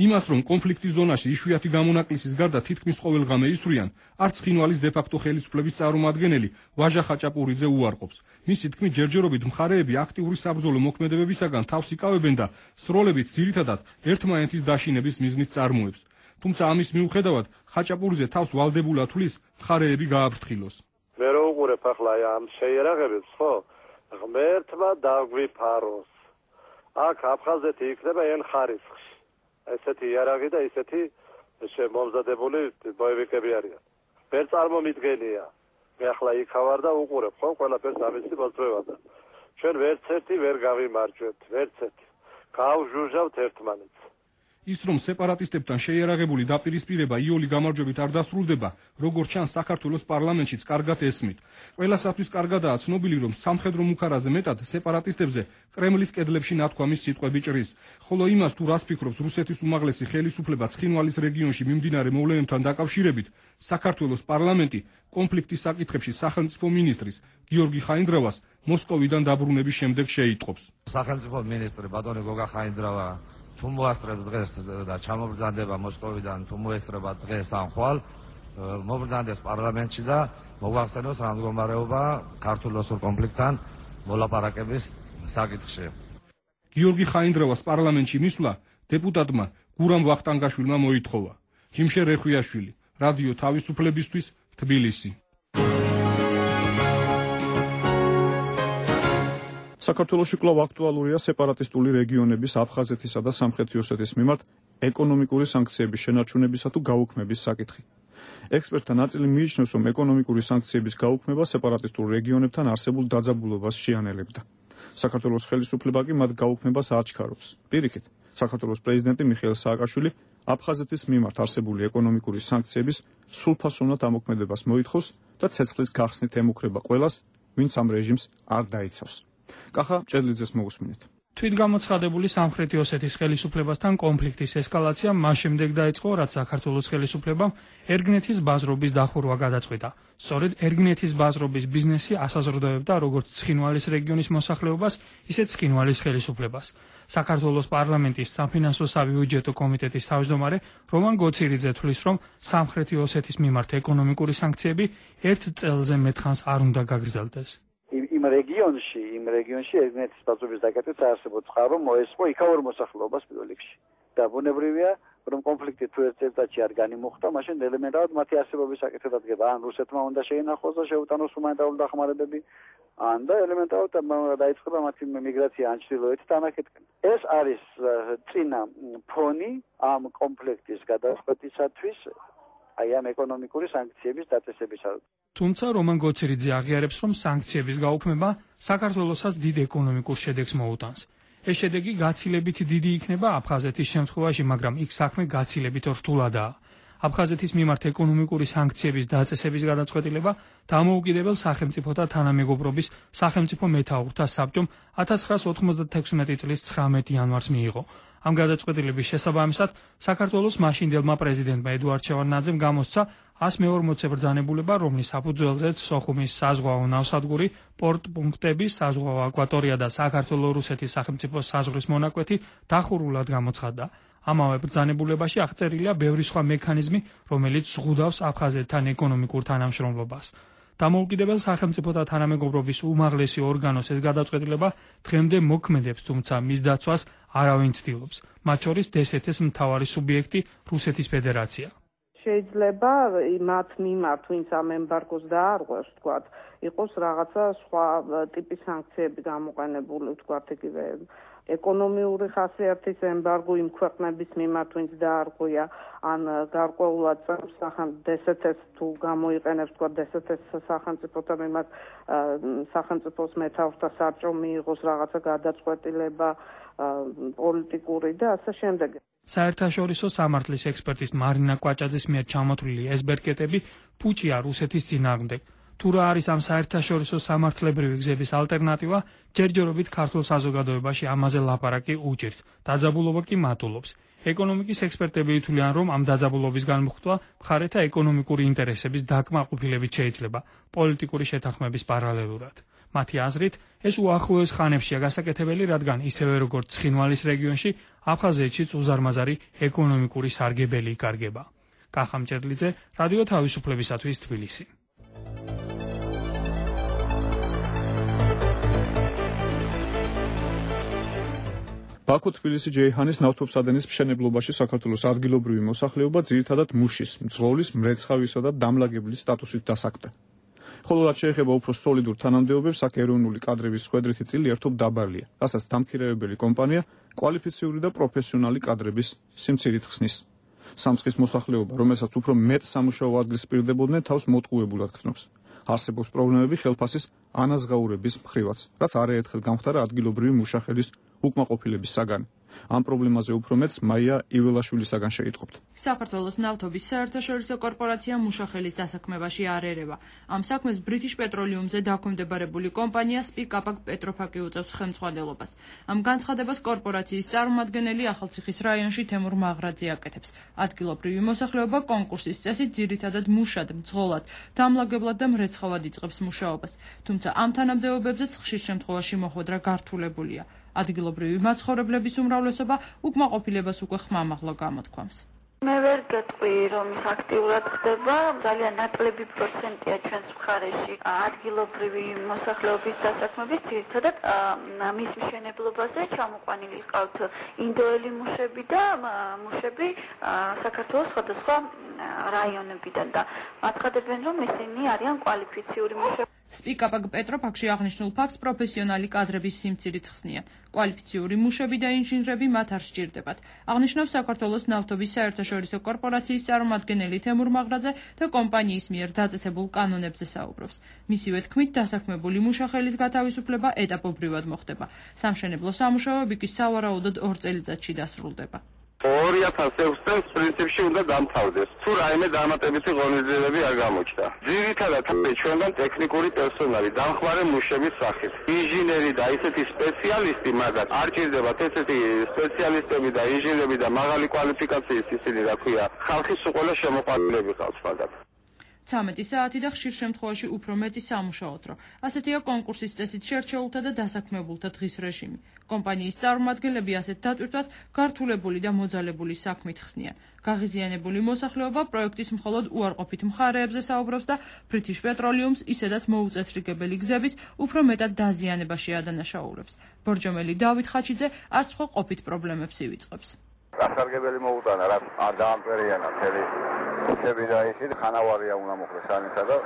იმას, რომ კონფლიქტის ზონაში იშვიათი გამონაკლისის გარდა თითქმის ყოველღამე ისვრიან, არც ცხინვალის დე-ფაქტო ხელისუფლების წარმომადგენელი ვაჟა ხაჭაპურიძე უარყოფს. მისი თქმით, ჯერჯერობით მხარეები აქტიური საბრძოლო მოქმედებებისაგან თავს იკავებენ და სროლებით ძირითადად ერთმანეთის დაშინების მიზნით წარმოებს. თუმცა ამის მიუხედავად ხაჭაპურიძე თავს ვალდებულად თვლის მხარეები გააფრთხილოს. მე რო უყურებ ახლა ამ შეიარაღებებს, ხო? ღმერთმა დაგვიფაროს. აქ აფხაზეთი იქნება ენ ხარისხში. ესეთი იარაღი და ისეთი შემომზადებული ბოევიკები არიან. ვერ წარმომიდგენია. მე ახლა იქა ვარ და უყურებ, ხო, ყველაფერს ამისი მოძრევა და ჩვენ ვერც ერთი ვერ გავიმარჯვებთ, ვერც ერთი. გავჟუჟავთ ერთმანეთს. ის რომ სეპარატისტებთან შეიარაღებული დაპირისპირება იოლი გამარჯვებით არ დასრულდება, როგორც ჩანს საქართველოს პარლამენტშიც კარგად ესმით. ყველასათვის კარგადაა ცნობილი, რომ სამხედრო მუქარაზე მეტად სეპარატისტებზე კრემლის კედლებში ნათქვამის სიტყვები ჭრის. ხოლო იმას თუ რას ფიქრობს რუსეთის უმაღლესი ხელისუფლება ცხინვალის რეგიონში მიმდინარე მოვლენებთან დაკავშირებით, საქართველოს პარლამენტი კონფლიქტის საკითხებში სახელმწიფო მინისტრის გიორგი ხაინდრავას მოსკოვიდან დაბრუნების შემდეგ შეიტყობს. სახელმწიფო მინისტრი ბატონი გოგა ხაინდრავა თუ მოასწრებს დღეს და ჩამობრძანდება მოსკოვიდან, თუ მოესწრება დღეს ამ ხვალ, მობრძანდეს პარლამენტში და მოგვახსენოს რა მდგომარეობა ქართულ-რუსულ კონფლიქტთან მოლაპარაკების საკითხში. გიორგი ხაინდრავას პარლამენტში მისვლა დეპუტატმა გურამ ვახტანგაშვილმა მოითხოვა. ჯიმშე რეხვიაშვილი, რადიო თავისუფლებისთვის, თბილისი. საქართველოში კვლავ აქტუალურია სეპარატისტული რეგიონების აფხაზეთისა და სამხრეთი ოსეთის მიმართ ეკონომიკური სანქციების შენარჩუნებისა თუ გაუქმების საკითხი. ექსპერტთა ნაწილი მიიჩნევს, რომ ეკონომიკური სანქციების გაუქმება სეპარატისტულ რეგიონებთან არსებულ დაძაბულობას შეანელებდა. საქართველოს ხელისუფლება კი მათ გაუქმებას აჩქარობს. პირიქით, საქართველოს პრეზიდენტი მიხეილ სააკაშვილი აფხაზეთის მიმართ არსებული ეკონომიკური სანქციების სრულფასოვნად ამოქმედებას მოითხოვს და ცეცხლის გახსნით ემუქრება ყველას, ვინც ამ რეჟიმს არ დაიცავს. კახა ჭედლიძეს მოусმინეთ. თვითგამოცხადებული სამხრეთი ოსეთის ხელისუფლებასთან კონფლიქტის ესკალაცია მას შემდეგ დაიწყო, რაც საქართველოს ხელისუფლებამ ერგნეთის ბაზრობის დახურვა გადაწყვიტა. სწორედ ერგნეთის ბაზრობის ბიზნესი ასაზრდოებდა როგორც ცხინვალის რეგიონის მოსახლეობას, ისე ცხინვალის ხელისუფლებას. საქართველოს პარლამენტის საფინანსო საბიუჯეტო კომიტეტის თავმჯდომარე რომან გოცირიძე თვლის, რომ სამხრეთი ოსეთის მიმართ ეკონომიკური სანქციები ერთ წელზე მეტხანს არ უნდა გაგრძელდეს. იმ რეგიონში, იმ რეგიონში ერგნეთის ბაზრობის დაკეტვით არსებობს წყარო მოესწრო იქაურ მოსახლეობას პირველ რიგში. და ბუნებრივია, რომ კონფლიქტი თუ ერთ წელიწადში არ განიმუხტა, მაშინ ელემენტარულად მათი არსებობის საკითხი დადგება. ან რუსეთმა უნდა შეინახოს და შეუტანოს ჰუმანიტარული დახმარებები, ან და ელემენტარულად დაიწყება მათი მიგრაცია ან ჩრდილოეთით, ან აქეთკენ. ეს არის წინა ფონი ამ კონფლიქტის გადაწყვეტისათვის, აი ამ ეკონომიკური სანქციების დაწესებისას. თუმცა რომან გოცირიძე აღიარებს, რომ სანქციების გაუქმება საქართველოსაც დიდ ეკონომიკურ შედეგს მოუტანს. ეს შედეგი გაცილებით დიდი იქნება აფხაზეთის შემთხვევაში, მაგრამ იქ საქმე გაცილებით რთულადაა. აფხაზეთის მიმართ ეკონომიკური სანქციების დაწესების გადაწყვეტილება დამოუკიდებელ სახელმწიფოთა თანამეგობრობის სახელმწიფო მეთაურთა საბჭომ ათას ცხრაას ოთხმოცდათექვსმეტი წლის ცხრამეტი იანვარს მიიღო. ამ გადაწყვეტილების შესაბამისად საქართველოს მაშინდელმა პრეზიდენტმა ედუარდ შევარდნაძემ გამოსცა ას მეორმოცე ბრძანებულება, რომლის საფუძველზეც სოხუმის საზღვაო ნავსადგური, პორტპუნქტები, საზღვაო აკვატორია და საქართველო-რუსეთის სახელმწიფოს საზღვრის მონაკვეთი დახურულად გამოცხადდა. ამავე ბრძანებულებაში აღწერილია ბევრი სხვა მექანიზმი, რომელიც ზღუდავს აფხაზეთთან ეკონომიკურ თანამშრომლობას. დამოუკიდებელ სახელმწიფოთა თანამეგობრობის უმაღლესი ორგანოს ეს გადაწყვეტილება დღემდე მოქმედებს, თუმცა მის დაცვას არავინ ცდილობს, მათ შორის დსთ-ის მთავარი სუბიექტი რუსეთის ფედერაცია. შეიძლება მათ მიმართ, ვინც ამ ემბარგოს დაარღვევს, თქვათ, იყოს რაღაცა სხვა ტიპის სანქციები გამოყენებული, თქვათ, იგივე ეკონომიური ხასიათის ემბარგო იმ ქვეყნების მიმართ, ვინც დაარღვია, ან გარკვეულად დსთ-ს თუ გამოიყენებს, თქვათ, დსთ-ს სახელმწიფოთა მიმართ სახელმწიფოს მეთაურთა საბჭომ მიიღოს რაღაცა გადაწყვეტილება პოლიტიკური და ასე შემდეგ. საერთაშორისო სამართლის ექსპერტის მარინა კვაჭაძის მიერ ჩამოთვლილი ეს ბერკეტები ფუჭია რუსეთის წინააღმდეგ. თუ რა არის ამ საერთაშორისო სამართლებრივი გზების ალტერნატივა, ჯერჯერობით ქართულ საზოგადოებაში ამაზე ლაპარაკი უჭირთ. დაძაბულობა კი მატულობს. ეკონომიკის ექსპერტები ითვლიან, რომ ამ დაძაბულობის განმუხტვა მხარეთა ეკონომიკური ინტერესების დაკმაყოფილებით შეიძლება პოლიტიკური შეთანხმების პარალელურად. მათი აზრით, ეს უახლოეს ხანებშია გასაკეთებელი, რადგან ისევე როგორც ცხინვალის რეგიონში, აფხაზეთშიც უზარმაზარი ეკონომიკური სარგებელი იკარგება. კახა მჭედლიძე, რადიო თავისუფლებისათვის თბილისი. ბაქო-თბილისი-ჯეიჰანის ნავთობსადენის მშენებლობაში საქართველოს ადგილობრივი მოსახლეობა ძირითადად მუშის, მძღოლის, მრეცხავისა და დამლაგებლის სტატუსით დასაქმდა. ხოლო რაც შეეხება უფრო სოლიდურ თანამდებობებს, აქ ეროვნული კადრების ხვედრითი წილი ერთობ დაბალია, რასაც დამქირავებელი კომპანია კვალიფიციური და პროფესიონალი კადრების სიმცირით ხსნის. სამცხის მოსახლეობა, რომელსაც უფრო მეტ სამუშაო ადგილს პირდებოდნენ, თავს მოტყუებულად გრძნობს. არსებობს პრობლემები ხელფასის ანაზღაურების მხრივაც, რაც არაერთხელ გამხდარა ადგილობრივი მუშახელის უკმაყოფილების საგანი. ამ პრობლემაზე უფრო მეტს მაია იველაშვილისაგან შეიტყობთ. საქართველოს ნავთობის საერთაშორისო კორპორაცია მუშახელის დასაქმებაში არ ერევა. ამ საქმეს ბრიტიშ პეტროლიუმზე დაქვემდებარებული კომპანია სპიკაპაკ პეტროფაკი უწევს ხელმძღვანელობას. ამ განცხადებას კორპორაციის წარმომადგენელი ახალციხის რაიონში თემურ მაღრაძე აკეთებს. ადგილობრივი მოსახლეობა კონკურსის წესით ძირითადად მუშად, მძღოლად, დამლაგებლად და მრეცხავად იწყებს მუშაობას. თუმცა ამ თანამდებობებზეც ხშირ შემთხვევაში მოხვედრა გართულებულია. ადგილობრივი მაცხოვრებლების უმრავლესობა უკმაყოფილებას უკვე ხმამაღლა გამოთქვამს. მე ვერ გეტყვი, რომ ის აქტიურად ხდება, ძალიან ნაკლები პროცენტია ჩვენს მხარეში ადგილობრივი მოსახლეობის დასაქმების, ძირითადად მის მშენებლობაზე ჩამოყვანილი ჰყავთ ინდოელი მუშები და მუშები საქართველოს სხვადასხვა რაიონებიდან და აცხადებენ, რომ ისინი არიან კვალიფიციური მუშები. სპიკაპაკ პეტროფაკში აღნიშნულ ფაქტს პროფესიონალი კადრების სიმცირით ხსნიან. კვალიფიციური მუშები და ინჟინრები მათ არ სჭირდებათ. აღნიშნავს საქართველოს ნავთობის საერთაშორისო კორპორაციის წარმომადგენელი თემურ მაღრაძე და კომპანიის მიერ დაწესებულ კანონებზე საუბრობს. მისივე თქმით, დასაქმებული მუშახელის გათავისუფლება ეტაპობრივად მოხდება. სამშენებლო სამუშაოები კი სავარაუდოდ ორ წელიწადში დასრულდება. ორი ათას ექვს წელს პრინციპში უნდა დამთავრდეს. თუ რაიმე დამატებითი ღონისძიებები არ გამოჩნდა. ძირითადად ჩვენგან ტექნიკური პერსონალი დამხმარე მუშების სახით. ინჟინერი და ისეთი სპეციალისტი, მაგრამ არ ჭირდებათ ესეთი სპეციალისტები და ინჟინერები და მაღალი კვალიფიკაციის ისინი, რა ქვია, ხალხის უყოლა შემოყვანილები ყავს მაგათ. ცამეტი საათი და ხშირ შემთხვევაში უფრო მეტი სამუშაო დრო. ასეთია კონკურსის წესით შერჩეულთა და დასაქმებულთა დღის რეჟიმი. კომპანიის წარმომადგენლები ასეთ დატვირთვას გართულებული და მოძალებული საქმით ხსნიან. გაღიზიანებული მოსახლეობა პროექტის მხოლოდ უარყოფით მხარეებზე საუბრობს და British Petroleum-ს ისედაც მოუწესრიგებელი გზების უფრო მეტად დაზიანებაში ადანაშაულებს. ბორჯომელი დავით ხაჩიძე არც ხო ყოფით პრობლემებს ივიწყებს. გასარგებელი მოუტანა, რა არ დაამტერიანა მთელი გზები და ისინი ხანავარია უნდა მოხდეს ანისა და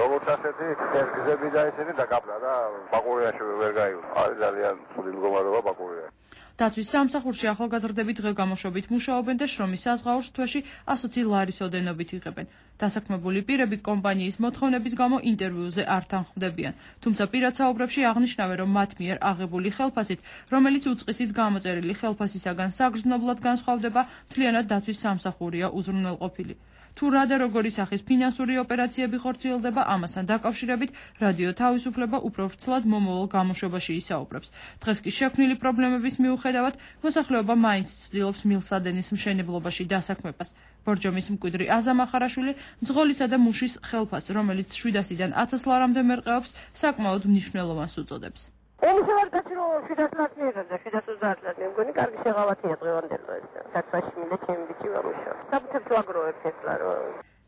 როგორც ასეთი გზები და ისინი დაკապლა და ბაკურიაში ვერ გაივლო. არის ძალიან ცუდი მდგომარეობა ბაკურიაში. დაცვის სამსახურში ახალგაზრდები დღე-გამოშვებით მუშაობენ და შრომის საზღაურს თვეში ასოცი ლარის ოდენობით იღებენ. დასაქმებული პირები კომპანიის მოთხოვნების გამო ინტერვიუზე არ თანხმდებიან, თუმცა პირად საუბრებში აღნიშნავენ, რომ მათ მიერ აღებული ხელფასით, რომელიც უწყისით გამოწერილი ხელფასისაგან საგრძნობლად განსხვავდება, მთლიანად დაცვის სამსახურია უზრუნველყოფილი. თუ რა და როგორი სახის ფინანსური ოპერაციები ხორციელდება, ამასთან დაკავშირებით რადიო თავისუფლება უფრო ვრცლად მომავალ გამოშვებაში ისაუბრებს. დღეს კი შექმნილი პრობლემების მიუხედავად, მოსახლეობა მაინც ცდილობს მილსადენის მშენებლობაში დასაქმებას. ბორჯომის მკვიდრი აზამ ახარაშვილი მძღოლისა და მუშის ხელფასს, რომელიც შვიდასიდან ათას ლარამდე მერყეობს, საკმაოდ მნიშვნელოვანს უწოდებს. ომისავარ გაჩრო შვიდას ლარს მიღებდა, შვიდას ოცდაათ ლარს მე მგონი კარგი შეღავათია დღევანდელ დღეს. დაცვაში მინდა ჩემი ბიჭი ვამუშავ. საბუთებს ვაგროვებ ეს ლარო.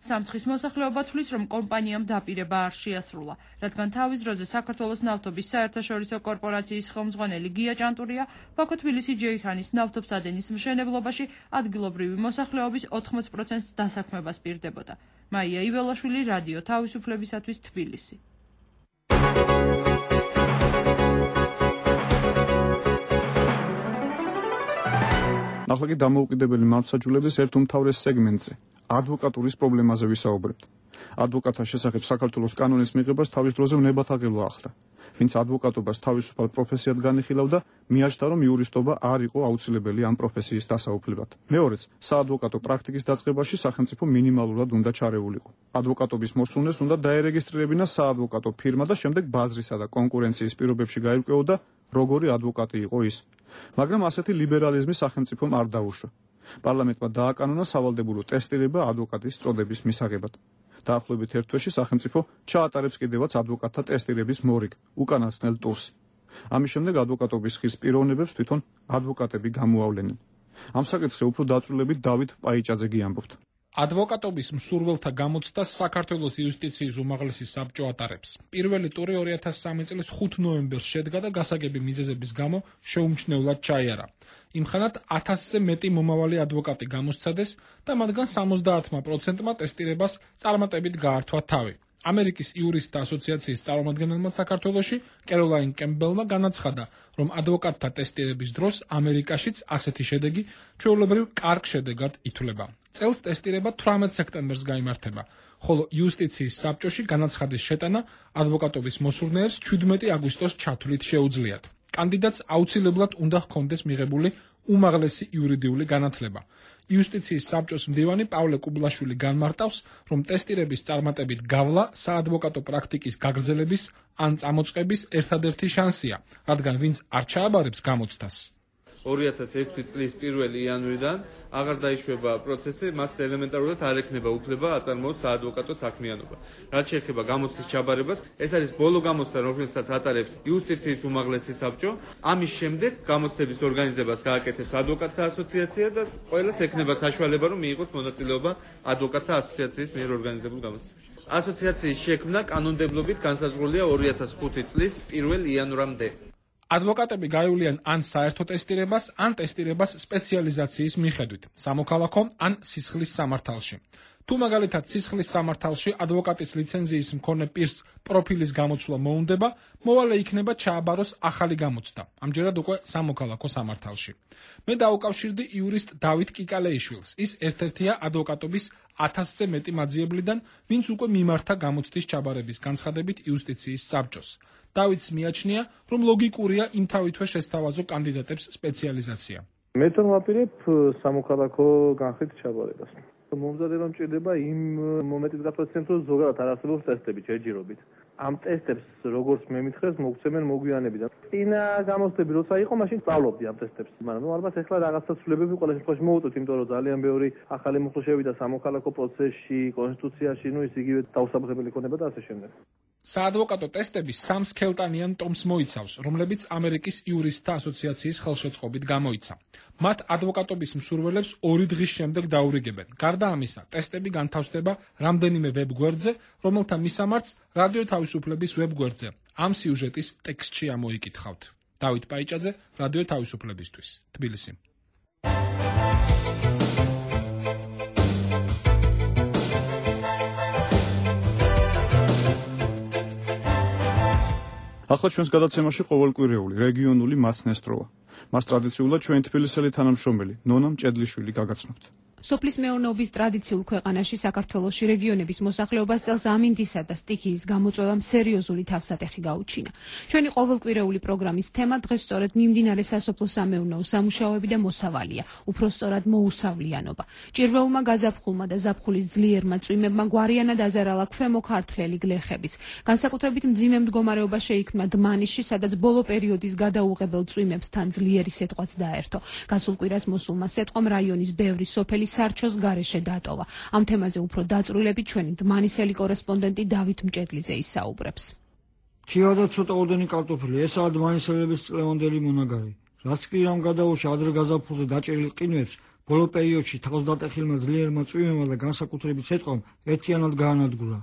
სამცხის მოსახლეობა თვლის, რომ კომპანიამ დაპირება არ შეასრულა, რადგან თავის დროზე საქართველოს ნავთობის საერთაშორისო კორპორაციის ხელმძღვანელი გია ჭანტურია ბაქო-თბილისი-ჯეიჰანის ნავთობსადენის მშენებლობაში ადგილობრივი მოსახლეობის ოთხმოც პროცენტს დასაქმებას პირდებოდა. მაია იველაშვილი, რადიო თავისუფლებისათვის, თბილისი. ახლა კი დამოუკიდებელი მართლმსაჯულების ერთ უმთავრეს სეგმენტზე ადვოკატურის პრობლემაზე ვისაუბრებთ. ადვოკატთა შესახებ საქართველოს კანონის მიღებას თავის დროზე უნებათაღელვა ახლდა. ვინც ადვოკატობას თავისუფალ პროფესიად განიხილავდა, მიაჩნდა, რომ იურისტობა არ იყო აუცილებელი ამ პროფესიის დასაუფლებად. მეორეც, საადვოკატო პრაქტიკის დაწყებაში სახელმწიფო მინიმალურად უნდა ჩარეულიყო. ადვოკატობის მოსუნეს უნდა დაერეგისტრირებინა საადვოკატო ფირმა და შემდეგ ბაზრისა და კონკურენციის პირობებში გაირკვეოდა, როგორი ადვოკატი იყო ის. მაგრამ ასეთი ლიბერალიზმი სახელმწიფომ არ დაუშვა. პარლამენტმა დააკანონა სავალდებულო ტესტირება ადვოკატის წოდების მისაღებად. დაახლოებით ერთ თვეში სახელმწიფო ჩაატარებს კიდევაც ადვოკატთა ტესტირების მორიგ, უკანასკნელ ტურს. ამის შემდეგ ადვოკატობის ხის პიროვნებებს თვითონ ადვოკატები გამოავლენენ. ამ საკითხზე უფრო დაწვრილებით დავით პაიჭაძე ამბობთ. ადვოკატობის მსურველთა გამოცდას საქართველოს იუსტიციის უმაღლესი საბჭო ატარებს. პირველი ტური ორი ათას სამი წლის ხუთი ნოემბერს შედგა და გასაგები მიზეზების გამო შეუმჩნევლად ჩაიარა. იმხანად ათასზე მეტი მომავალი ადვოკატი გამოსცადეს და მათგან სამოცდაათმა პროცენტმა ტესტირებას წარმატებით გაართვა თავი. ამერიკის იურისტთა ასოციაციის წარმომადგენელმა საქართველოში კეროლაინ კემბელმა განაცხადა, რომ ადვოკატთა ტესტირების დროს ამერიკაშიც ასეთი შედეგი ჩვეულებრივ კარგ შედეგად ითვლება. წელს ტესტირება თვრამეტ სექტემბერს გაიმართება, ხოლო იუსტიციის საბჭოში განაცხადის შეტანა ადვოკატობის მოსურნეებს ჩვიდმეტი აგვისტოს ჩათვლით შეუძლიათ. კანდიდატს აუცილებლად უნდა ჰქონდეს მიღებული უმაღლესი იურიდიული განათლება. იუსტიციის საბჭოს მდივანი პავლე კუბლაშვილი განმარტავს, რომ ტესტირების წარმატებით გავლა საადვოკატო პრაქტიკის გაგრძელების ან წამოწყების ერთადერთი შანსია, რადგან ვინც არ ჩააბარებს გამოცდას. ორი ათას ექვსი წლის პირველი იანვრიდან აღარ დაიშვება პროცესი, მას ელემენტარულად არ ექნება უფლება აწარმოოს საადვოკატო საქმიანობა. რაც შეეხება გამოცდის ჩაბარებას, ეს არის ბოლო გამოცდა, რომელსაც ატარებს იუსტიციის უმაღლესი საბჭო. ამის შემდეგ გამოცდების ორგანიზებას გააკეთებს ადვოკატთა ასოციაცია და ყველას ექნება საშუალება, რომ მიიღოს მონაწილეობა ადვოკატთა ასოციაციის მიერ ორგანიზებულ გამოცდებში. ასოციაციის შექმნა კანონმდებლობით განსაზღვრულია ორი ათას ხუთი წლის პირველ იანვრამდე. ადვოკატები გაივლიან ან საერთო ტესტირებას, ან ტესტირებას სპეციალიზაციის მიხედვით, სამოქალაქო ან სისხლის სამართალში. თუ მაგალითად სისხლის სამართალში ადვოკატის ლიცენზიის მქონე პირს პროფილის გამოცვლა მოუნდება, მოვალე იქნება ჩააბაროს ახალი გამოცდა, ამჯერად უკვე სამოქალაქო სამართალში. მე დაუკავშირდი იურისტ დავით კიკალეიშვილს, ის ერთ-ერთია ადვოკატობის ათასზე მეტი მაძიებლიდან, ვინც უკვე მიმართა გამოცდის ჩაბარების განცხადებით იუსტიციის საბჭოს. დავით მიაჩნია, რომ ლოგიკურია იმთავითვე შესთავაზო კანდიდატებს სპეციალიზაცია. მე თვითონ ვაპირებ სამოქალაქო განხრით ჩაბარებას. მომზადება მჭირდება იმ მომენტის გასაცემს, რომ ზოგადად არ არსებობს ტესტები ჯერჯერობით. ამ ტესტებს როგორც მე მითხრეს, მოგცემენ მოგვიანებიდან. წინა გამოცდები როცა იყო, მაშინ სწავლობდი ამ ტესტებს. მაგრამ ნუ ალბათ ახლა რაღაცა ცვლილებები ყველა შემთხვევაში მოვუწევთ, იმიტომ რომ ძალიან ბევრი ახალი მოხდა და სამოქალაქო პროცესში, კონსტიტუციაში, ნუ ის იგივე დაუსაბუთებელი იქნება და ასე შემდეგ. საადვოკატო ტესტები სამ სქელტანიან ტომს მოიცავს, რომლებიც ამერიკის იურისტთა ასოციაციის ხელშეწყობით გამოიცა. მათ ადვოკატობის მსურველებს ორი დღის შემდეგ დაურიგებენ. გარდა ამისა, ტესტები განთავსდება რამდენიმე ვებგვერდზე, რომელთა მისამართს რადიო თავისუფლების ვებგვერდზე. ამ სიუჟეტის ტექსტში ამოიკითხავთ. დავით პაიჭაძე, რადიო თავისუფლებისთვის, თბილისი. ახლა ჩვენს გადაცემაში ყოველკვირეული რეგიონული მასნესტროა. მას ტრადიციულად ჩვენი თბილისელი თანამშრომელი ნონა მჭედლიშვილი გაგაცნობთ. სოფლის მეურნეობის ტრადიციულ ქვეყანაში საქართველოში რეგიონების მოსახლეობას წელს ამინდისა და სტიქიის გამოწვევამ სერიოზული თავსატეხი გაუჩინა. ჩვენი ყოველკვირეული პროგრამის თემა დღეს სწორედ მიმდინარე სასოფლო სამეურნეო სამუშაოები და მოსავალია, უფრო სწორად მოუსავლიანობა. ჭირველმა გაზაფხულმა და ზაფხულის ძლიერმა წვიმებმა გვარიანად აზარალა ქვემო ქართლელი გლეხებიც. განსაკუთრებით მძიმე მდგომარეობა შეიქმნა დმანიშში, სადაც ბოლო პერიოდის გადაუღებელ წვიმებსთან ძლიერი სეტყვაც დაერთო. გასულ კვირას მოსულმა სეტყვამ რაიონის ბევრი სოფელი სარჩოს გარეშე დატოვა. ამ თემაზე უფრო დაწვრილებით ჩვენი დმანისელი კორესპონდენტი დავით მჭედლიძე ისაუბრებს. თია და ცოტა ოდენი კარტოფილი, ესაა დმანისელების წლევანდელი მონაგარი. რაც კი ამ გადაუშა ადრე გაზაფხულზე დაჭერილ ყინვებს, ბოლო პერიოდში თავს დატეხილმა ძლიერმა წვიმებმა და განსაკუთრებით სეტყვამ ერთიანად გაანადგურა.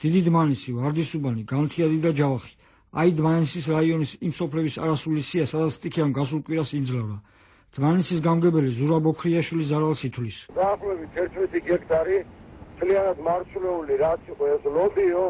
დიდი დმანისი, ვარდისუბანი, განთიადი და ჯავახი. აი დმანისის რაიონის იმ სოფლების არასრული სია, სადაც სტიქიამ გასულ კვირას იმძლავრა. დმანისის გამგებელი ზურაბ ოქრიაშვილი ზარალს ითვლის. დაახლოებით ერთმეტი გექტარი მთლიანად მარცვლეული რაც იყო ეს ლობიო,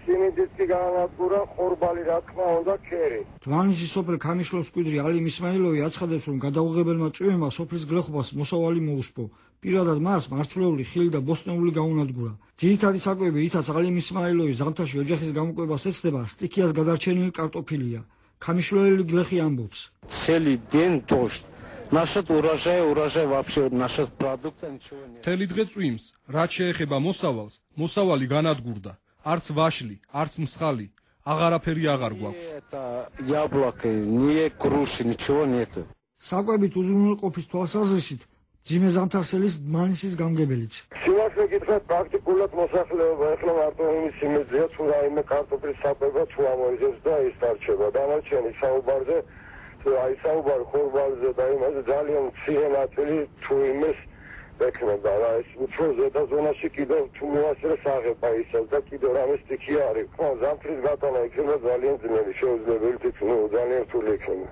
სიმინდიც კი გაანადგურა, ხორბალი რა თქმა უნდა ქერი. დმანისის სოფელ ქამიშლოს მკვიდრი ალიმ ისმაილოვი აცხადებს, რომ გადაუღებელმა წვიმებმა სოფლის გლეხობას მოსავალი მოუსპო. პირადად მას მარცვლეული ხილი და ბოსტნეული გაუნადგურა. ძირითადი საკვები, რითაც ალიმ ისმაილოვი ზამთარში ოჯახის გამოკვებას ეცდება, სტიქიას გადარჩენილი კარტოფილია. Камишлоли глехи амбობს. Целый день дождь. Насчет урожая, урожай вообще, насчет продукта ничего нет. მთელი დღე წვიმს, რაც შეეხება მოსავალს, მოსავალი განადგურდა. არც ვაშლი, არც მსხალი, აღარაფერი აღარ გვაქვს. Это яблоко, не груши, ничего нету. საკვებით უზრუნველყოფის თვალსაზრისით ძიმე ზამთარსელის დმანისის გამგებელიც. Სიმართლე გითხრათ, პრაქტიკულად მოსახლეობა ეხლა მარტო იმის იმედია, თუ რაიმე კარტოფილის საკვება თუ ამოიძებს და ის დარჩება. დანარჩენი საუბარზე, აი საუბარი ხორბალზე და იმაზე ძალიან მცირე ნაწილი თუ იმეს ექნება. რა ეს უფრო ზედა ზონაში კიდევ თუ მოასწრეს აღება ისევ და კიდევ რამე სტიქი არის. ხო, ზამთრის გატანა იქნება ძალიან ძნელი, შეუძლებელი თითქმის, ნუ ძალიან რთული იქნება.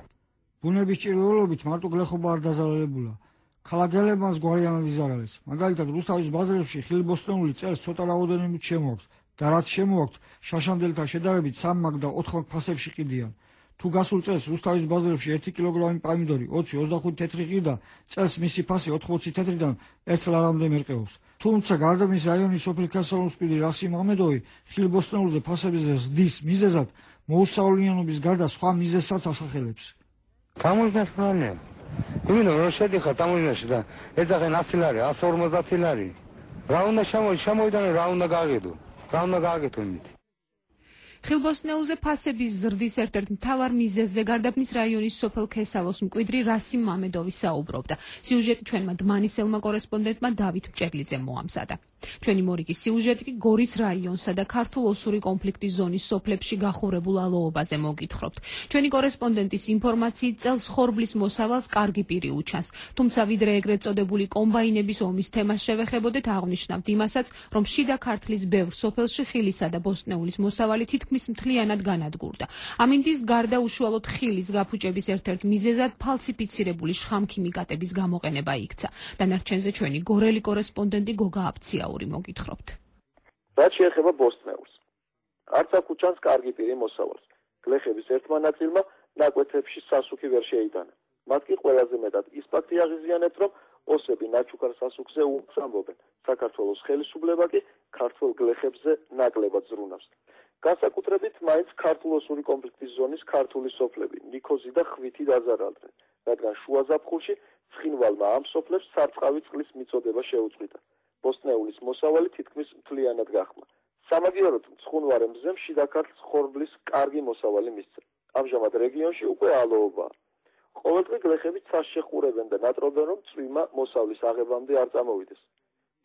ბუნების ჭირველობით მარტო გლეხობა არ დაზარალებულა. ქალაქელებმაც გვარიანად იზარალეს. მაგალითად, რუსთავის ბაზრებში ხილბოსტნეული წელს ცოტა რაოდენობით შემოაქვთ და რაც შემოაქვთ, შაშამდელთან შედარებით სამ მაგ და ოთხ მაგ ფასებში ყიდიან. თუ გასულ წელს რუსთავის ბაზრებში ერთი კილოგრამი პამიდორი ოცი ოცდახუთი თეთრი ყიდა, წელს მისი ფასი ოთხმოცი თეთრიდან ერთ ლარამდე მერყეობს. თუმცა გარდა მის რაიონის სოფლის გასავლოს მკვიდრი რასიმ ამედოვი ხილბოსტნეულზე ფასების ზრდის მიზეზად მოუსავლიანობის გარდა სხვა მიზეზსაც ასახელებს. Таможня страны. Именно რომ შედიხარ ტამოჟნაში და ეძახენ ასი ლარი, ასი ორმოცდაათი ლარი. რა უნდა შემოვიდანო, რა უნდა გააგედო? რა უნდა გააგეთო იმით? ხილბოსტნეულზე ფასების ზრდის ერთ-ერთ მთავარ მიზეზზე გარდაბნის რაიონის სოფელ ქესალოს მკვიდრი რასიმ მამედოვი საუბრობდა. სიუჟეტი ჩვენმა დმანისელმა კორესპონდენტმა დავით მჭედლიძემ მოამზადა. ჩვენი მორიგი სიუჟეტი კი გორის რაიონსა და ქართულ-ოსური კონფლიქტის ზონის სოფლებში გახურებულ ალოობაზე მოგითხრობთ. ჩვენი კორესპონდენტის ინფორმაციით წელს ხორბლის მოსავალს კარგი პირი უჩანს. თუმცა ვიდრე ეგრეთ წოდებული კომბაინების ომის თემას შევეხებოდეთ, აღნიშნავთ იმასაც, რომ შიდა ქართლის ბევრ სოფელში ხილისა და ბოსტნეულის მოსავალი თითქმის მთლიანად განადგურდა. ამინდის გარდა უშუალოდ ხილის გაფუჭების ერთ-ერთ მიზეზად ფალსიფიცირებული შხამქიმიკატების გამოყენება იქცა. დანარჩენზე ჩვენი გორელი კორესპონდენტი გოგა აფციაური მოგითხრობთ. რაც შეეხება ბოსტნეულს, არც აქ უჩანს კარგი პირი მოსავალს. გლეხების ერთმა ნაწილმა ნაკვეთებში სასუქი ვერ შეიტანა. მათ კი ყველაზე მეტად ის ფაქტი აღიზიანებთ, რომ ოსები ნაჩუქარ სასუქზე უს ამბობენ. საქართველოს ხელისუფლება კი ქართველ გლეხებზე ნაკლებად ზრუნავს. განსაკუთრებით მაინც ქართულ-ოსური კონფლიქტის ზონის ქართული სოფლები ნიქოზი და ხვითი დაზარალდნენ, რადგან შუა ზაფხულში ცხინვალმა ამ სოფლებს სარწყავი წყლის მიწოდება შეუწყვიტა. ბოსტნეულის მოსავალი თითქმის მთლიანად გახმა. სამაგიეროდ მცხუნვარე მზემ შიდა ქართლს ხორბლის კარგი მოსავალი მისცა. ამჟამად რეგიონში უკვე ალოობაა. ყოველდღე გლეხები ცას შეყურებენ და ნატრობენ, რომ წვიმა მოსავლის აღებამდე არ წამოვიდეს.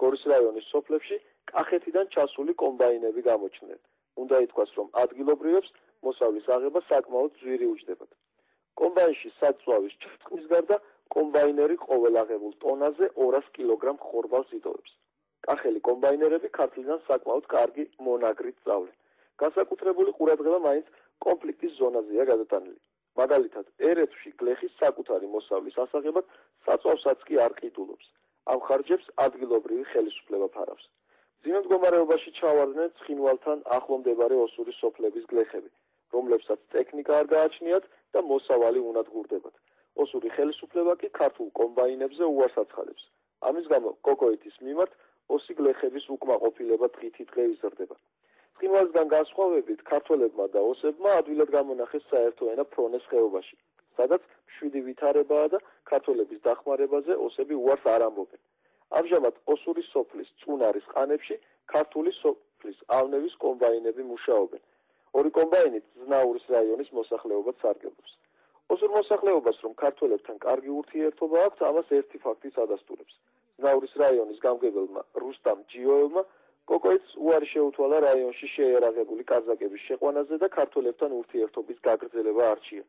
გორის რაიონის სოფლებში კახეთიდან ჩასული კომბაინები გამოჩნდნენ. უნდა ითქვას, რომ ადგილობრივებს მოსავლის აღება საკმაოდ ძვირი უჯდებათ. კომბაინში საწვავის ჩრწყმის გარდა კომბაინერი ყოველ აღებულ ტონაზე ორას კილოგრამ ხორბალს იტოვებს. კახელი კომბაინერები ქართლიდან საკმაოდ კარგი მონაგრით სწავლენ. განსაკუთრებული ყურადღება მაინც კონფლიქტის ზონაზეა გადატანილი. მაგალითად, ერეთში გლეხის საკუთარი მოსავლის ასაღებად საწვავსაც კი არ ყიდულობს. ამ ხარჯებს ადგილობრივი ხელისუფლება ფარავს. ძინა მდგომარეობაში ჩავარდნენ ცხინვალთან ახლო მდებარე ოსური სოფლების გლეხები, რომლებსაც ტექნიკა არ გააჩნიათ და მოსავალი უნად გურდებათ. ოსური ხელისუფლება კი ქართულ კომბაინებზე უარს აცხადებს. ამის გამო კოკოეთის მიმართ ოსი გლეხების უკმაყოფილება დღითი დღე იზრდება. ცხინვალისგან განსხვავებით, ქართველებმა და ოსებმა ადვილად გამონახეს საერთო ენა ფრონეს ხეობაში, სადაც მშვიდი ვითარებაა და ქართველების დახმარებაზე ოსები უარს არ ამბობენ. ამჟამად ოსური სოფლის წუნარის ყანებში ქართული სოფლის ავნევის კომბაინები მუშაობენ. ორი კომბაინით ზნაურის რაიონის მოსახლეობას სარგებლობს. ოსურ მოსახლეობას, რომ ქართველებთან კარგი ურთიერთობა აქვს, ამას ერთი ფაქტიც ადასტურებს. ზნაურის რაიონის გამგებელმა რუსტამ ჯიოევმა კოკოეთს უარი შეუთვალა რაიონში შეიარაღებული კაზაკების შეყვანაზე და ქართველებთან ურთიერთობის გაგრძელება არჩია.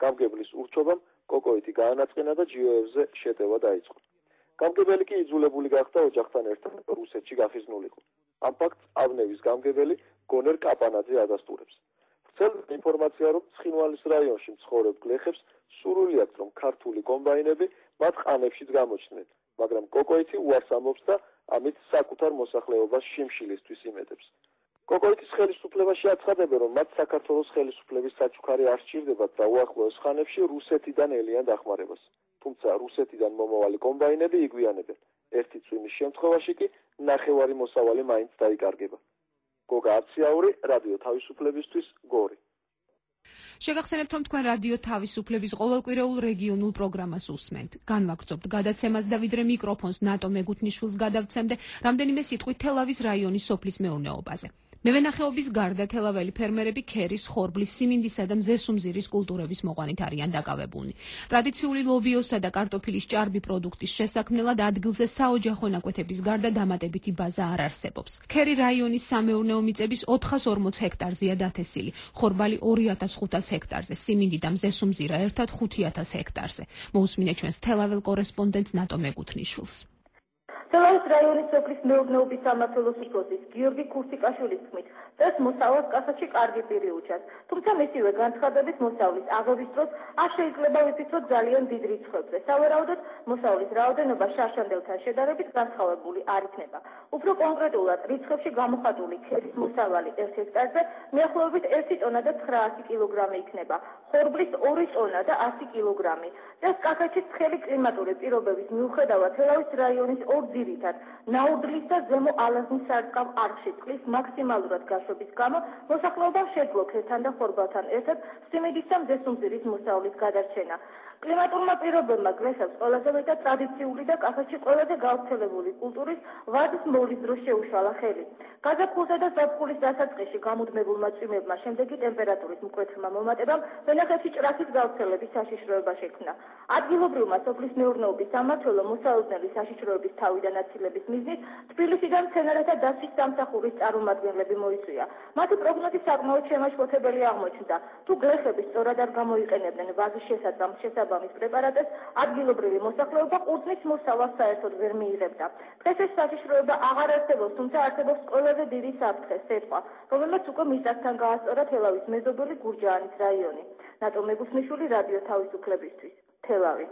გამგებლის ურჩობამ კოკოეთი გაანაწყენა და ჯიოევზე შეტევა დაიწყო. გამგებელი კი იძულებული გახდა ოჯახთან ერთად რუსეთში გახიზნულიყო. ამ ფაქტს ავნევის გამგებელი გონერ კაპანაძე ადასტურებს. ვრცელდება ინფორმაცია, რომ ცხინვალის რაიონში მცხოვრებ გლეხებს სურვილი აქვს, რომ ქართული კომბაინები მათ ყანებშიც გამოჩნდნენ, მაგრამ კოკოეთი უარს ამბობს და ამით საკუთარ მოსახლეობას შიმშილისთვის იმედებს. კოკოეთის ხელისუფლებაში აცხადებენ, რომ მათ საქართველოს ხელისუფლების საჩუქარი არ სჭირდებათ და უახლოეს ხანებში რუსეთიდან ელიან დახმარებას. თუმცა რუსეთიდან მომავალი კომბაინები იგვიანებენ. ერთი წვიმის შემთხვევაში კი ნახევარი მოსავალი მაინც დაიკარგება. გოგა აციაური, რადიო თავისუფლებისთვის, გორი. შეგახსენებთ, რომ თქვენ რადიო თავისუფლების ყოველკვირეულ რეგიონულ პროგრამას უსმენთ. განვაგრძობთ გადაცემას და ვიდრე მიკროფონს ნატო მეგუთნიშვილს გადავცემდე, რამდენიმე სიტყვით თელავის რაიონის სოფლის მეურნეობაზე. მევენახეობის გარდა თელაველი ფერმერები ქერის, ხორბლის, სიმინდისა და მზესუმზირის კულტურების მოყვანით არიან დაკავებულნი. ტრადიციული ლობიოსა და კარტოფილის ჭარბი პროდუქტის შესაქმნელად ადგილზე საოჯახო ნაკვეთების გარდა დამატებითი ბაზა არ არსებობს. ქერი რაიონის სამეურნეო მიწების ოთხას ორმოც ჰექტარზეა დათესილი, ხორბალი ორი ათას ხუთას ჰექტარზე, სიმინდი და მზესუმზირა ერთად ხუთი ათას ჰექტარზე. მოусმინეთ ჩვენს თელაվել კორესპონდენტს ნატო მეგუთნიშვილს. თელავის რაიონის სოფლის მეურნეობის სამმართველოს უფროსის გიორგი ქურთიკაშვილის თქმით, წელს მოსავალს კახეთში კარგი პირი უჩას. თუმცა მისივე განცხადების მოსავლის აღების დროს არ შეიძლება ვიფიქროთ ძალიან დიდ რიცხვებზე. სავარაუდოდ მოსავლის რაოდენობა შარშანდელთან შედარებით განსხვავებული არ იქნება. უფრო კონკრეტულად რიცხვებში გამოხატული ქერის მოსავალი ერთ ჰექტარზე მიახლოებით ერთი ტონა და ცხრაასი კილოგრამი იქნება. ხორბლის ორი ტონა და ასი კილოგრამი. წელს კახეთში ცხელი კლიმატური პირობების მიუხედავად თელავის რაიონის ორ ძირითად ნაუდლის და ზემო ალაზნის სარწყავ არხში წყლის მაქსიმალურად გაშვების გამო მოსახლეობამ შეძლო ქერთან და ხორბალთან ერთად სიმინდის და მზესუმზირის მოსავლის გადარჩენა. კლიმატურმა პირობებმა გლეხებს ყველაზე მეტად ტრადიციული და კახეთში ყველაზე გავრცელებული კულტურის ვარდის მოვლის დროს შეუშალა ხელი. გაზაფხულსა და ზაფხულის დასაწყისში გამუდმებულმა წვიმებმა შემდეგი ტემპერატურის მკვეთრმა მომატებამ ვენახებში ჭრაქის გავრცელების საშიშროება შექმნა. ადგილობრივმა სოფლის მეურნეობის სამმართველო მოსალოდნელი საშიშროების თავიდან აცილების მიზნით თბილისიდან მცენარეთა დაცვის სამსახურის წარმომადგენლები მოიწვია. მათი პროგნოზი საკმაოდ შემაშფოთებელი აღმოჩნდა. თუ გლეხები სწორად არ გამოიყენებდნენ ვაზის შესაძამს შესაბამის პრეპარატებს, ადგილობრივი მოსახლეობა ყურძნის მოსავალს საერთოდ ვერ მიიღებდა. დღეს ეს საშიშროება აღარ არსებობს, თუმცა არსებობს ყველაზე დიდი საფრთხე, სეტყვა, რომელმაც უკვე მიწასთან გაასწორა თელავის მეზობელი გურჯაანის რაიონი. ნატო მეგუთნიშვილი რადიო თავისუფლებისთვის. თელავი.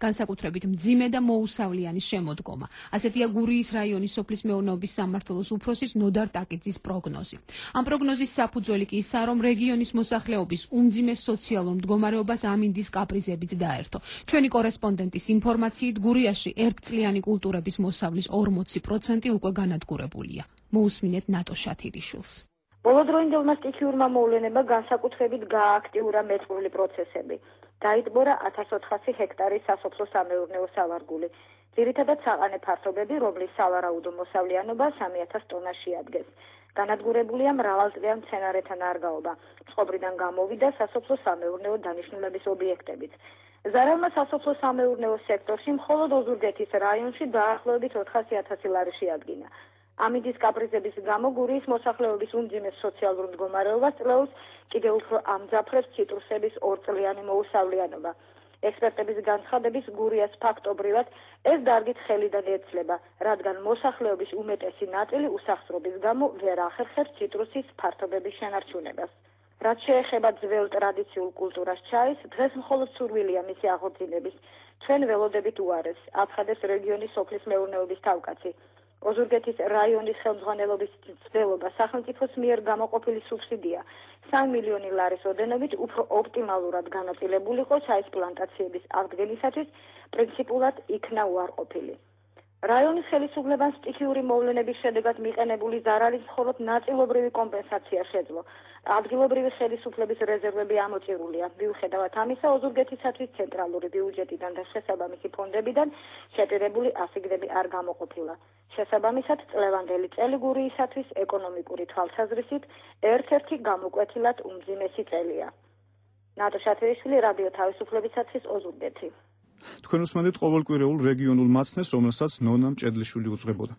განსაკუთრებით მძიმე და მოუსავლიანი შემოდგომა. ასეთია გურიის რაიონის სოფლის მეურნეობის სამმართველოს უფროსის ნოდარ ტაკიძის პროგნოზი. ამ პროგნოზის საფუძველი კი ისაა, რომ რეგიონის მოსახლეობის უმძიმე სოციალურ მდგომარეობას ამინდის კაპრიზებიც დაერთო. ჩვენი კორესპონდენტის ინფორმაციით, გურიაში ერთწლიანი კულტურების მოსავლის ორმოცი პროცენტი უკვე განადგურებულია. მოусმინეთ ნატო შათირიშვილს. ბოლოდროინდელმა სტიქიურმა მოვლენებმა განსაკუთრებით გაააქტიურა მეწყრული პროცესები. დაიტბორა ათას ოთხასი ჰექტარის სასოფლო-სამეურნეო სავარგული. ძირითადად საყანე ფართობები, რომლის სავარაუდო მოსავლიანობა სამი ათას ტონაში ადგეს. განადგურებულია მრავალწლიან მცენარეთა ნარგაობა. წყობრიდან გამოვიდა სასოფლო-სამეურნეო დანიშნულების ობიექტებიც. ზარალმა სასოფლო-სამეურნეო სექტორში მხოლოდ ოზურგეთის რაიონში დაახლოებით ოთხასი ათასი ლარი შეადგინა. ამინდის კაპრიზების გამო გურიის მოსახლეობის უმძიმე სოციალურ მდგომარეობას წლეულს კიდევ უფრო ამძაფრებს ციტრუსების ორწლიანი მოუსავლიანობა. ექსპერტების განცხადების გურიას ფაქტობრივად ეს დარგით ხელიდან ეცლება, რადგან მოსახლეობის უმეტესი ნაწილი უსახსრობის გამო ვერ ახერხებს ციტრუსის ფართობების შენარჩუნებას. რაც შეეხება ძველ ტრადიციულ კულტურას ჩაის, დღეს მხოლოდ სურვილია მისი აღორძინების. ჩვენ ველოდებით უარეს, აცხადებს რეგიონის სოფლის მეურნეობის თავკაცი. ოზურგეთის რაიონის ხელმძღვანელობის ცდელობა სახელმწიფოს მიერ გამოყოფილი სუბსიდია სამი მილიონი ლარის ოდენობით უფრო ოპტიმალურად განაწილებულიყო ჩაის პლანტაციების აღდგენისათვის პრინციპულად იქნა უარყოფილი. რაიონის ხელისუფლებამ სტიქიური მოვლენების შედეგად მიყენებული ზარალის მხოლოდ ნაწილობრივი კომპენსაცია შეძლო. ადგილობრივი ხელისუფლების რეზერვები ამოწირულია. მიუხედავად ამისა, ოზურგეთისათვის ცენტრალური ბიუჯეტიდან და შესაბამისი ფონდებიდან შეტირებული ასიგნები არ გამოყოფილა. შესაბამისად, წლევანდელი წელი გურიისათვის ეკონომიკური თვალსაზრისით ერთ-ერთი გამოკვეთილად უმძიმესი წელია. ნატო შათირიშვილი, რადიო თავისუფლებისათვის, ოზურგეთი. თქვენ უსმენთ ყოველკვირეულ რეგიონულ მაცნეს, რომელსაც ნონა მჭედლიშვილი უძღვებოდა.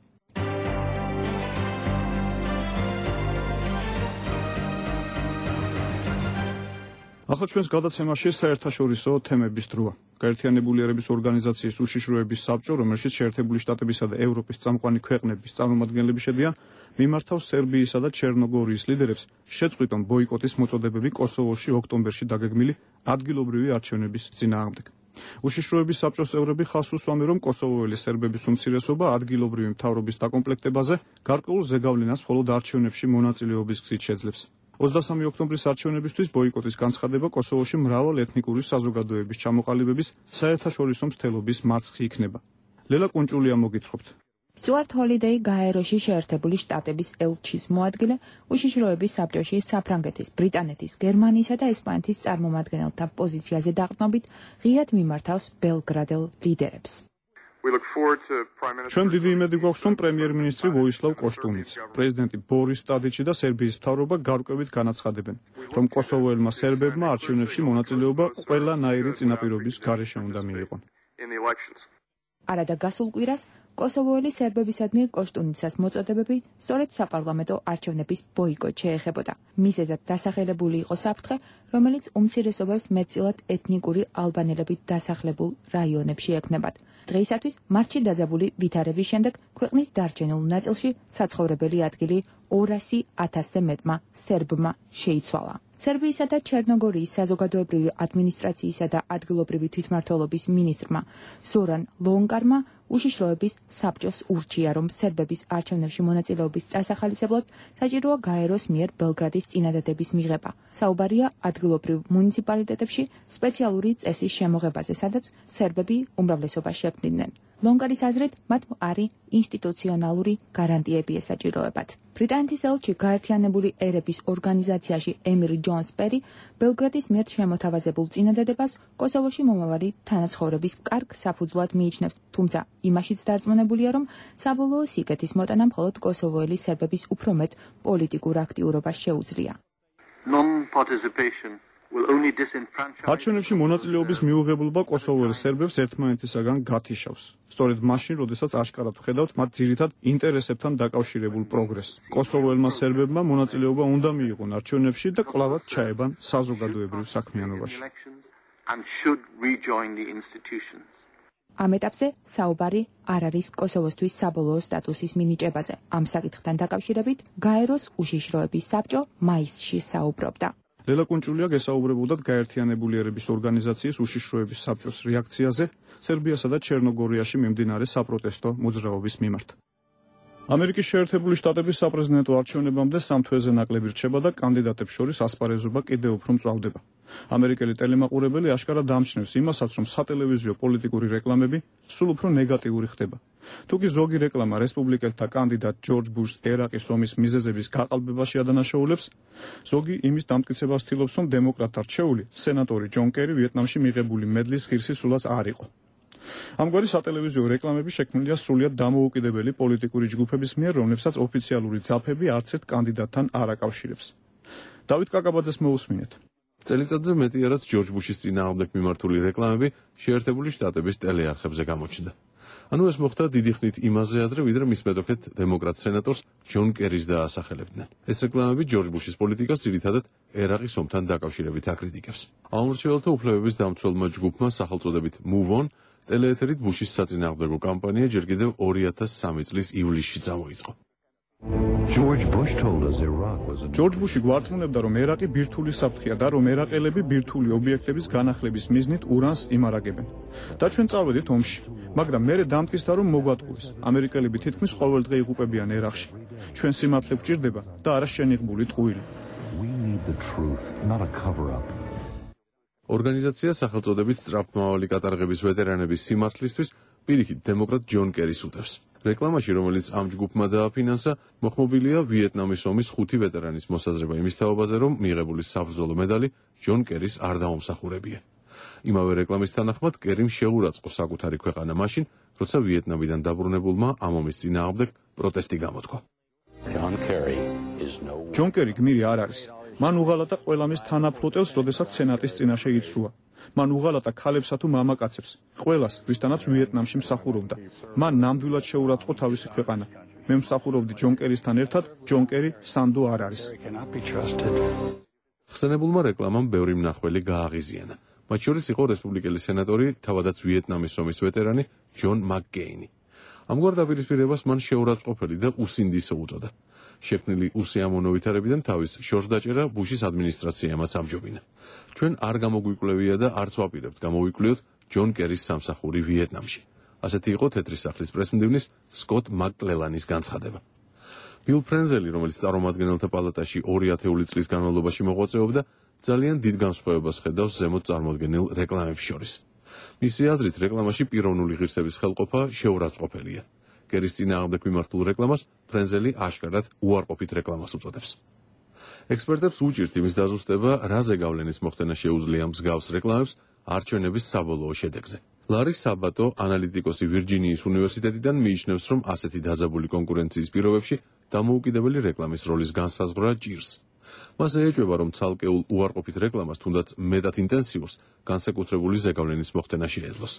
ახლა ჩვენს გადაცემაში საერთაშორისო თემების დროა. გაერთიანებული ერების ორგანიზაციის უშიშროების საბჭო, რომელშიც შეერთებული შტატებისა და ევროპის წამყვანი ქვეყნების წარმომადგენლები შედიან, მიმართავს სერბიისა და ჩერნოგორიის ლიდერებს შეწყვიტონ ბოიკოტის მოწოდებები კოსოვოში ოქტომბერში დაგეგმილი ადგილობრივი არჩევნების წინააღმდეგ. უშიშროების საბჭოს წევრები ხაზს უსვამენ, რომ კოსოვოელი სერბების უმცირესობა ადგილობრივი მთავრობის დაკომპლექტებაზე გარკვეულ ზეგავლენას მხოლოდ არჩევნებში მონაწილეობის გზით შეძლებს. ოცდასამი ოქტომბრის არჩევნებისთვის ბოიკოტის განცხადება კოსოვოში მრავალ ეთნიკური საზოგადოების ჩამოყალიბების საერთაშორისო მცდელობის მარცხი იქნება. ლელა კუნჭულია მოგითხრობთ. სტუარტ ჰოლიდეი გაეროში შეერთებული შტატების ელჩის მოადგილე უშიშროების საბჭოში საფრანგეთის, ბრიტანეთის, გერმანიისა და ესპანეთის წარმომადგენელთა პოზიციაზე დაყრდნობით ღიად მიმართავს ბელგრადელ ლიდერებს. ჩვენ დიდი იმედი გვაქვს, რომ პრემიერ-მინისტრი ვოისლავ კოშტუნიც, პრეზიდენტი ბორის ტადიჩი და სერბიის მთავრობა გარკვევით განაცხადებენ, რომ კოსოვოელმა სერბებმა არჩევნებში მონაწილეობა ყველანაირი წინაპირობის გარეშე უნდა მიიღონ. არადა გასულ კვირას კოსოვოელი სერბებისადმი კოშტუნიცას მოწოდებები სწორედ საპარლამენტო არჩევნების ბოიკოტ შეეხებოდა. მიზეზად დასახელებული იყო საფრთხე, რომელიც უმცირესობებს მეტწილად ეთნიკური ალბანელებით დასახლებულ რაიონებში ექნებათ. დღეისათვის მარტში დაძაბული ვითარების შემდეგ ქვეყნის დარჩენილ ნაწილში საცხოვრებელი ადგილი ორასი ათასზე მეტმა სერბმა შეიცვალა. სერბიისა და ჩერნოგორიის საზოგადოებრივი ადმინისტრაციისა და ადგილობრივი თვითმმართველობის მინისტრმა ზორან ლონკარმა უშიშროების საბჭოს ურჩია, რომ სერბების არჩევნებში მონაწილეობის წასახალისებლად საჭიროა გაეროს მიერ ბელგრადის წინადადების მიღება. საუბარია ადგილობრივ მუნიციპალიტეტებში სპეციალური წესის შემოღებაზე, სადაც სერბები უმრავლესობა შექმნიდნენ. ლონკარის აზრით, მათ მყარი ინსტიტუციონალური გარანტიები ესაჭიროებათ. ბრიტანეთის ელჩი გაერთიანებული ერების ორგანიზაციაში ემილი ჯონს პერი ბელგრადის მიერ შემოთავაზებულ წინადადებას კოსოვოში მომავალი თანაცხოვრების კარგ საფუძვლად მიიჩნევს, თუმცა იმაშიც დარწმუნებულია, რომ საბოლოო სიკეთის მოტანა მხოლოდ კოსოვოელი სერბების უფრო მეტ პოლიტიკურ აქტიურობას შეუძლია. არჩევნებში მონაწილეობის მიუღებლობა კოსოვოელ სერბებს ერთმანეთისაგან გათიშავს. სწორედ მაშინ, როდესაც აშკარად ვხედავთ მათ ძირითად ინტერესებთან დაკავშირებულ პროგრესს. კოსოვოელმა სერბებმა მონაწილეობა უნდა მიიღონ არჩევნებში და კვლავად ჩაებან საზოგადოებრივ საქმიანობაში. ამ ეტაპზე საუბარი არ არის კოსოვოსთვის საბოლოო სტატუსის მინიჭებაზე. ამ საკითხთან დაკავშირებით გაეროს უშიშროების საბჭო მაისში საუბრობდა. ლელა კუნჭულია გესაუბრებოდათ გაერთიანებული ერების ორგანიზაციის უშიშროების საბჭოს რეაქციაზე სერბიასა და ჩერნოგორიაში მიმდინარე საპროტესტო მოძრაობის მიმართ. ამერიკის შეერთებული შტატების საპრეზიდენტო არჩევნებამდე სამ თვეზე ნაკლები რჩება და კანდიდატებს შორის ასპარეზობა კიდევ უფრო მწვავდება. ამერიკელი ტელემაყურებელი აშკარად ამჩნევს იმასაც, რომ სატელევიზიო პოლიტიკური რეკლამები სულ უფრო ნეგატიური ხდება. თუკი ზოგი რეკლამა რესპუბლიკელთა კანდიდატ ჯორჯ ბუშს ერაყის ომის მიზეზების გაყალბებაში ადანაშაულებს, ზოგი იმის დამტკიცებას ცდილობს, რომ დემოკრატთა რჩეული სენატორი ჯონ კერი ვიეტნამში მიღებული მედლის ღირსი სულაც არ იყო. ამგვარი სატელევიზიო რეკლამები შექმნილია სრულიად დამოუკიდებელი პოლიტიკური ჯგუფების მიერ, რომლებსაც ოფიციალური ძაფები არც ერთ კანდიდატთან არ აკავშირებს. დავით კაკაბაძეს მოусმინეთ. წელიწადზე მეტი არაც ჯორჯ ბუშის წინააღმდეგ მიმართული რეკლამები შეერთებული შტატების ტელეარხებზე გამოჩნდა. ანუ ეს მოხდა დიდი ხნით იმაზე ადრე, ვიდრე მის მეტოქეთ დემოკრატ სენატორს ჯონ კერის დაასახელებდნენ. ეს რეკლამები ჯორჯ ბუშის პოლიტიკას ძირითადად ერაყის ომთან დაკავშირებით აკრიტიკებს. ამომრჩეველთა უფლებების დამცველმა ჯგუფმა სახელწოდებით Move On ტელეეთერით ბუშის საწინააღმდეგო კამპანია ჯერ კიდევ ორი ათას სამი წლის ივლისში წამოიწყო. ჯორჯ ბუში გვარწმუნებდა, რომ ერაყი ბირთვული საფრთხეა და რომ ერაყელები ბირთვული ობიექტების განახლების მიზნით ურანს იმარაგებენ. და ჩვენ წავედით ომში, მაგრამ მერე დამტკიცდა, რომ მოგვატყუეს. ამერიკელები თითქმის ყოველდღე იღუპებიან ერაყში. ჩვენ სიმართლე გვჭირდება და არა შენიღბული ტყუილი. ორგანიზაცია სახელწოდებით სწრაფმავალი კატარღების ვეტერანების სიმართლისთვის პირიქით დემოკრატ ჯონ კერის უტევს. რეკლამაში, რომელიც ამ ჯგუფმა დააფინანსა, მოხმობილია ვიეტნამის ომის ხუთი ვეტერანის მოსაზრება იმის თაობაზე, რომ მიღებული საბრძოლო მედალი ჯონ კერის არ დაუმსახურებია. იმავე რეკლამის თანახმად კერიმ შეურაცხყო საკუთარი ქვეყანა მაშინ, როცა ვიეტნამიდან დაბრუნებულმა ამ ომის წინააღმდეგ პროტესტი გამოთქვა. ჯონ კერი გმირი არ არის. მან უღალატა ყველა მის თანაფლოტელს, როდესაც სენატის წინაშე იცრუა. მან უღალატა ქალებსა თუ მამაკაცებს, ყველას, ვისთანაც ვიეტნამში მსახურობდა. მან ნამდვილად შეურაცხყო თავისი ქვეყანა. მე მსახურობდი ჯონ კერისთან ერთად, ჯონ კერი სანდო არ არის. ხსენებულმა რეკლამამ ბევრი მნახველი გააღიზიანა. მათ შორის იყო რესპუბლიკელი სენატორი, თავადაც ვიეტნამის ომის ვეტერანი ჯონ მაკკეინი. ამგვარ დაპირისპირებას მან შეურაცხყოფელი და უსინდისო უწოდა. შექმნილი უსიამოვნო ვითარებიდან თავის შორსდაჭერა ბუშის ადმინისტრაციამაც ამჯობინა. ჩვენ არ გამოგვიკვლევია და არც ვაპირებთ გამოვიკვლიოთ ჯონ კერის სამსახური ვიეტნამში. ასეთი იყო თეთრი სახლის პრესმდივნის სკოტ მაკკლელანის განცხადება. ბილ ფრენზელი, რომელიც წარმომადგენელთა პალატაში ორი ათეული წლის განმავლობაში მოღვაწეობდა, ძალიან დიდ განსხვავებას ხედავს ზემოთ წარმოდგენილ რეკლამებს შორის. მისი აზრით, რეკლამაში პიროვნული ღირსების ხელყოფა შეურაცხყოფელია. კერის წინააღმდეგ მიმართულ რეკლამას ფრენზელი აშკარად უარყოფით რეკლამას უწოდებს. ექსპერტებს უჭირთ იმის დაზუსტება, რა ზეგავლენის მოხდენა შეუძლია მსგავს რეკლამებს არჩევნების საბოლოო შედეგზე. ლარი საბატო, ანალიტიკოსი ვირჯინიის უნივერსიტეტიდან მიიჩნევს, რომ ასეთი დაძაბული კონკურენციის პირობებში დამოუკიდებელი რეკლამის როლის განსაზღვრა ჭირს. მას ეჭვება, რომ ცალკეულ უარყოფით რეკლამას, თუნდაც მეტად ინტენსიურს, განსაკუთრებული ზეგავლენის მოხდენა შეეძლოს.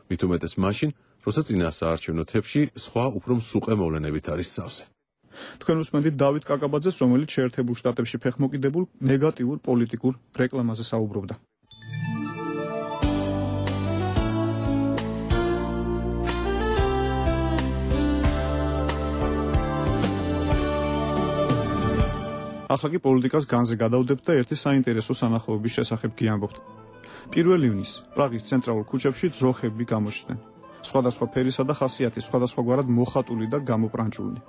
მით უმეტეს მაშინ, როცა წინა საარჩევნო თებში სხვა უფრო მსუყე მოვლენებით არის სავსე. თქვენ უსმენთ დავით კაკაბაძეს, რომელიც შეერთებულ შტატებში ფეხმოკიდებულ ნეგატიურ პოლიტიკურ რეკლამაზე საუბრობდა. ახლა კი პოლიტიკას განზე გადავდებთ და ერთი საინტერესო სანახაობის შესახებ გიამბობთ. პირველ ივნისს პრაღის ცენტრალურ ქუჩებში ძროხები გამოჩნდნენ. სხვადასხვა ფერისა და ხასიათის, სხვადასხვაგვარად მოხატული და გამოპრანჭულნი.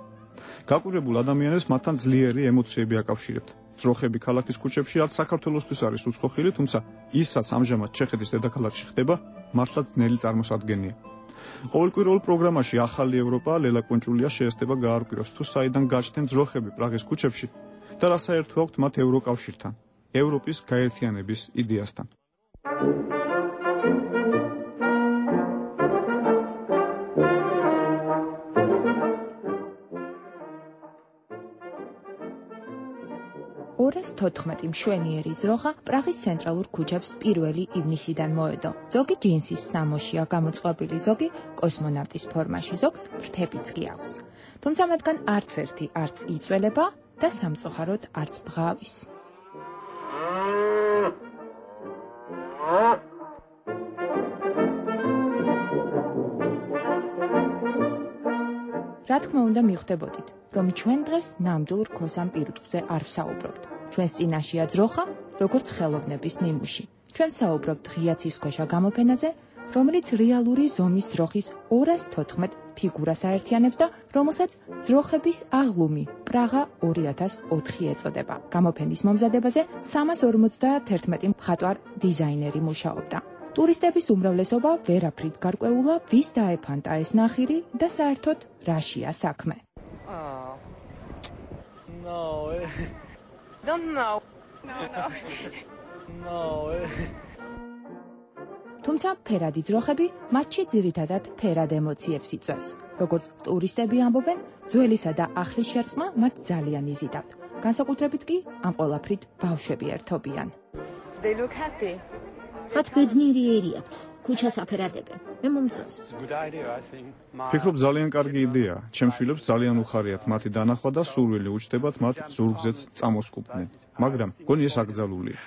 გაკვირვებულ ადამიანებს მათთან ძლიერი ემოციები აკავშირებთ. ძროხები ქალაქის ქუჩებში რაც საქართველოსთვის არის უცხოხილი, თუმცა ისაც ამჟამად ჩეხეთის დედაქალაქში ხდება, მართლაც ძნელი წარმოსადგენია. ყოველკვირეულ პროგრამაში ახალი ევროპა ლელა კუნჭულია შეესწება გაარკვიოს, თუ საიდან გაჩნდნენ ძროხები პრაღის ქუჩებში და რა საერთო აქვთ მათ ევროკავშირთან, ევროპის გაერთიანების იდეასთან. ორას თოთხმეტი მშვენიერი ძროხა პრაღის ცენტრალურ ქუჩებს პირველი ივნისიდან მოედო. ზოგი ჯინსის სამოშია გამოწყობილი, ზოგი კოსმონავტის ფორმაში, ზოგს ფრთებიც კი აქვს. თუმცა მათგან არც ერთი არც იწველება და სამწუხაროდ არც ბღავის. რა თქმა უნდა მიხვდებოდით, რომ ჩვენ დღეს ნამდვილ რქოსან პირუტყვზე არ ვსაუბრობთ. ჩვენს წინაშეა ძროხა, როგორც ხელოვნების ნიმუში. ჩვენ საუბრობთ ღია ცისქვეშა გამოფენაზე, რომელიც რეალური ზომის ძროხის ორას თოთხმეტ ფიგურას აერთიანებს და რომელსაც ძროხების აღლუმი პრაღა ორი ათას ოთხი ეწოდება. გამოფენის მომზადებაზე სამას ორმოცდაათერთმეტი მხატვარ დიზაინერი მუშაობდა. ტურისტების უმრავლესობა ვერაფრით გარკვეულა, ვის დაეფანტა ეს ნახირი და საერთოდ რაშია საქმე. Oh. No. Don't know. No, no. No. თუმცა ფერადი ძროხები მათში ძირითადად ფერად ემოციებს იწვევს. როგორც ტურისტები ამბობენ, ძველისა და ახლის შერწყმა მათ ძალიან იზიდავთ. განსაკუთრებით კი ამ ყველაფრით ბავშვები ერთობიან. They look happy. მათ ბედნიერი აქვთ. ქუჩას აფერადებენ. მე მომწონს. ფიქრობ ძალიან კარგი იდეაა. ჩემს შვილებს ძალიან უხარიათ მათი დანახვა და სურვილი უჩნდებათ მათ ზურგზეც წამოსკუპდნენ. მაგრამ გონი ეს აკრძალულია.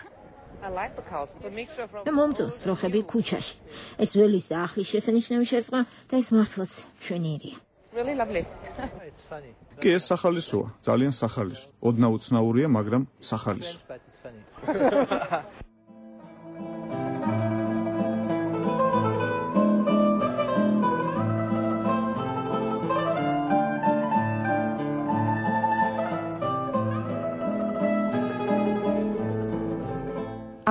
მე მომწონს ძროხები ქუჩაში. ეს ველის და ახლის შესანიშნავი შერწყმა და ეს მართლაც მშვენიერია. Really lovely. კი ეს სახალისოა, ძალიან სახალისო. ოდნავ უცნაურია, მაგრამ სახალისო.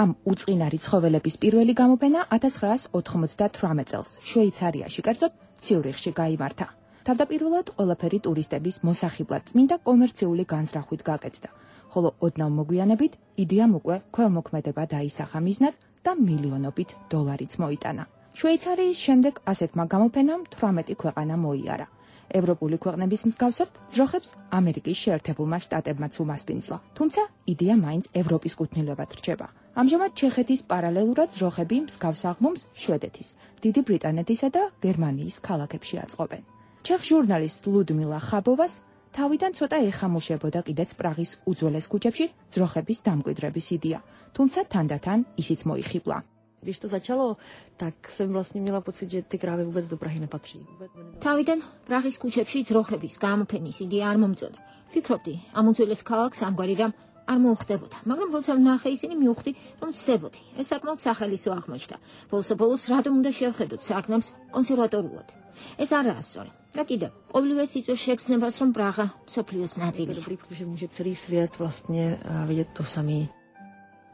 ამ უწყინარი ცხოველების პირველი გამოფენა ათას ცხრაას ოთხმოცდათვრამეტ წელს შვეიცარიაში, კერძოდ ციურიხში გაიმართა. თავდაპირველად ყველაფერი ტურისტების მოსახიბლად წმინდა კომერციული განზრახვით გაკეთდა, ხოლო ოდნავ მოგვიანებით იდეამ უკვე ქველმოქმედება დაისახა მიზნად და მილიონობით დოლარიც მოიტანა. შვეიცარიის შემდეგ ასეთმა გამოფენამ თვრამეტი ქვეყანა მოიარა. ევროპული ქვეყნების მსგავსად ძროხებს ამერიკის შეერთებულმა შტატებმაც უმასპინძლა, თუმცა იდეა მაინც ევროპის კუთვნილებად რჩება. ამჟამად ჩეხეთის პარალელურად ძროხები მსგავს აღლუმს შვედეთის, დიდი ბრიტანეთისა და გერმანიის ქალაქებში აწყობენ. ჩეხ ჟურნალისტ ლუდმილა ხაბოვას თავიდან ცოტა ეხამუშებოდა კიდეც პრაღის უძველეს ქუჩებში ძროხების დამკვიდრების იდეა, თუმცა თანდათან ისიც მოიხიბლა. Když to začalo, tak jsem vlastně měla pocit, že ty krávy vůbec do Prahy nepatří. Თავიდან პრაღის ქუჩებში ძროხების გამოფენის იდეა არ მომწონდა. ფიქრობდი, ამ უძველეს ქალაქს ამგვარი რამ არ მოუხდებოდა, მაგრამ როცა ვნახე ისინი მივხვდი, რომ ცდებოდი. ეს საკმაოდ სახალისო აღმოჩნდა. ბოლოს-ბოლოს რატომ უნდა შევხედოთ საქმეს კონსერვატორულად. ეს არაა სწორი. და კიდევ, ყოველივეს იწვევს შეგრძნებას, რომ პრაღა მსოფლიოს ნაწილია. Protože může celý svět vlastně vidět to samé.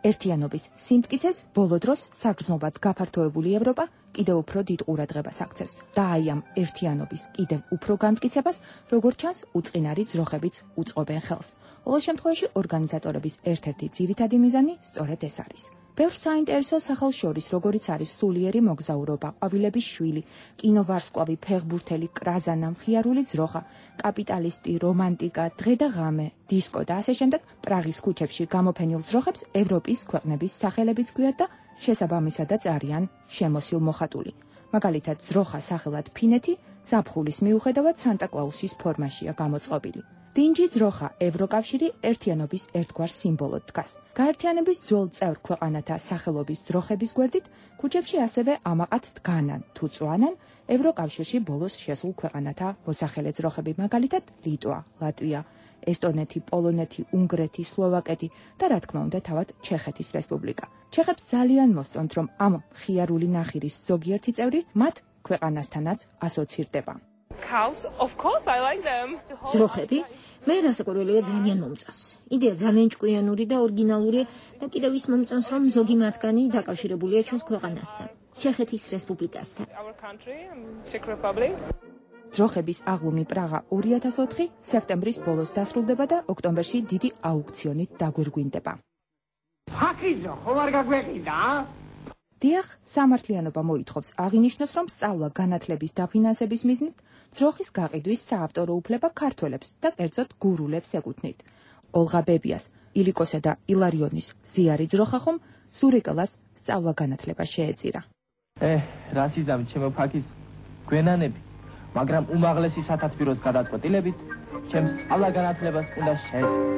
ერთიანობის სიმტკიცეს ბოლო დროს საგრძნობად გაფართოებული ევროპა კიდევ უფრო დიდ ყურადღებას აქცევს და აი ამ ერთიანობის კიდევ უფრო გამტკიცებას, როგორც ჩანს, უწყინარი ძროხებიც უწყობენ ხელს. ყოველ შემთხვევაში ორგანიზატორების ერთ-ერთი ძირითადი მიზანი სწორედ ეს არის. ბევრ საინტერესო სახელს შორის, როგორიც არის სულიერი მოგზაურობა, ყვავილების შვილი, კინოვარსკვლავი, ფეხბურთელი, კრაზანა, მხიარული ძროხა, კაპიტალისტი, რომანტიკა, დღე და ღამე, დისკო და ასე შემდეგ, პრაღის ქუჩებში გამოფენილ ძროხებს ევროპის ქვეყნების სახელებიც გვიათ და შესაბამისადაც არიან შემოსილ მოხატული. მაგალითად, ძროხა სახელად ფინეთი ზაფხულის მიუხედავად სანტა-კლაუსის ფორმაშია გამოწყობილი. დინჯი ძროხა ევროკავშირი ერთიანობის ერთგვარ სიმბოლოდ დგას. გაერთიანების ძველ წევრ ქვეყანათა სახელობის ძროხების გვერდით ქუჩებში ასევე ამაყად დგანან თუ წვანან ევროკავშირში ბოლოს შესულ ქვეყანათა მოსახელე ძროხები, მაგალითად ლიტვა, ლატვია, ესტონეთი, პოლონეთი, უნგრეთი, სლოვაკეთი და რა თქმა უნდა თავად ჩეხეთის რესპუბლიკა. ჩეხებს ძალიან მოსწონთ, რომ ამ მხიარული ნახირის ზოგიერთი წევრი მათ ქვეყანასთანაც ასოცირდება. Cows, of course I like them. ძროხები მე რასაკვირველია ძალიან მომწონს. იდეა ძალიან ჭკვიანური და ორიგინალურია და კიდევ ის მომწონს, რომ ზოგი მათგანი დაკავშირებულია ჩვენს ქვეყანასთან, ჩეხეთის რესპუბლიკასთან. Our country, Czech Republic. ძროხების აღლუმი პრაღა ორი ათას ოთხი სექტემბრის ბოლოს დასრულდება და ოქტომბერში დიდი აუქციონით დაგვირგვინდება. ფაქიზო, ხომ არ გაგვეყიდა? დიახ, სამართლიანობა მოითხოვს აღინიშნოს, რომ სწავლა განათლების დაფინანსების მიზნით ძროხის გაყიდვის საავტორო უფლება ქართველებს და კერძოდ გურულებს ეკუთვნით. ოლღა ბებიას, ილიკოსა და ილარიონის ზიარი ძროხა ხომ სურიკელას სწავლა განათლება შეეწირა. ე, რას იზამთ ჩემო ფაქის გვენანები, მაგრამ უმაღლესი სათათბიროს გადაწყვეტილებით ჩემს სწავლა განათლებას უნდა შეეწირო.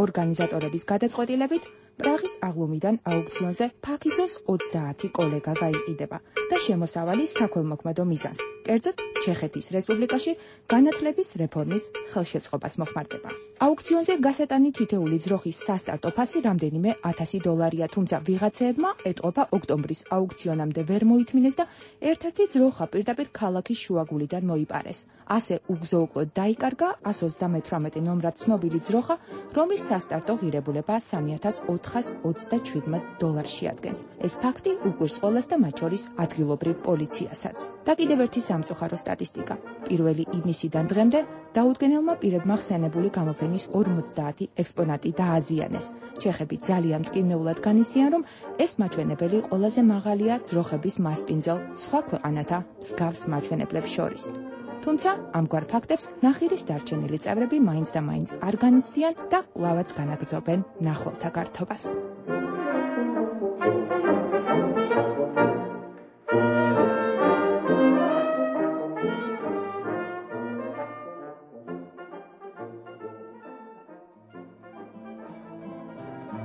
ორგანიზატორების გადაწყვეტილებით პრაღის აღლუმიდან აუქციონზე ფაქიზოს ოცდაათი კოლეგა გაიყიდება და შემოსავალი საქველმოქმედო მიზანს, კერძოდ ჩეხეთის რესპუბლიკაში განათლების რეფორმის ხელშეწყობას მოხმარდება. აუქციონზე გასატანი თითოეული ძროხის სასტარტო ფასი რამდენიმე ათასი დოლარია, თუმცა ვიღაცეებმა ეტყობა ოქტომბრის აუქციონამდე ვერ მოითმინეს და ერთ-ერთი ძროხა პირდაპირ ქალაქის შუაგულიდან მოიპარეს. ასე უგზო-უკლოდ დაიკარგა ას ოცდამეთვრამეტი ნომრად ცნობილი ძროხა, რომლის სასტარტო ღირებულება სამი ათას ოთხას ოცდაჩვიდმეტ დოლარს შეადგენს. ეს ფაქტი უკვირს ყველას და მათ შორის ადგილობრივ პოლიციასაც. და კიდევ ერთი სამწუხარო სტატისტიკა. პირველი ივნისიდან დღემდე დაუდგენელმა პირებმა ხსენებული გამოფენის ორმოცდაათი ექსპონატი დააზიანეს. ჩეხები ძალიან მტკივნეულად განიცდიან, რომ ეს მაჩვენებელი ყველაზე მაღალია ძროხების მასპინძელ სხვა ქვეყანათა მსგავს მაჩვენებლებს შორის. თუმცა ამგვარ ფაქტებს ნახირის დარჩენილი წევრები მაინც და მაინც არ განიცდიან და კვლავაც განაგრძობენ ნახველთა გართობას.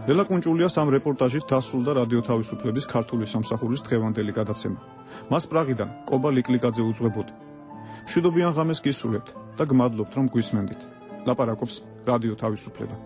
ლელა კუნჭულიას ამ რეპორტაჟით დასრულდა რადიო თავისუფლების ქართული სამსახურის დღევანდელი გადაცემა. მას პრაღიდან კობა ლიკლიკაძე უძღვებოდი. მშვიდობიან ღამეს გისურვებთ და გმადლობთ, რომ გვისმენდით. ლაპარაკობს რადიო თავისუფლება.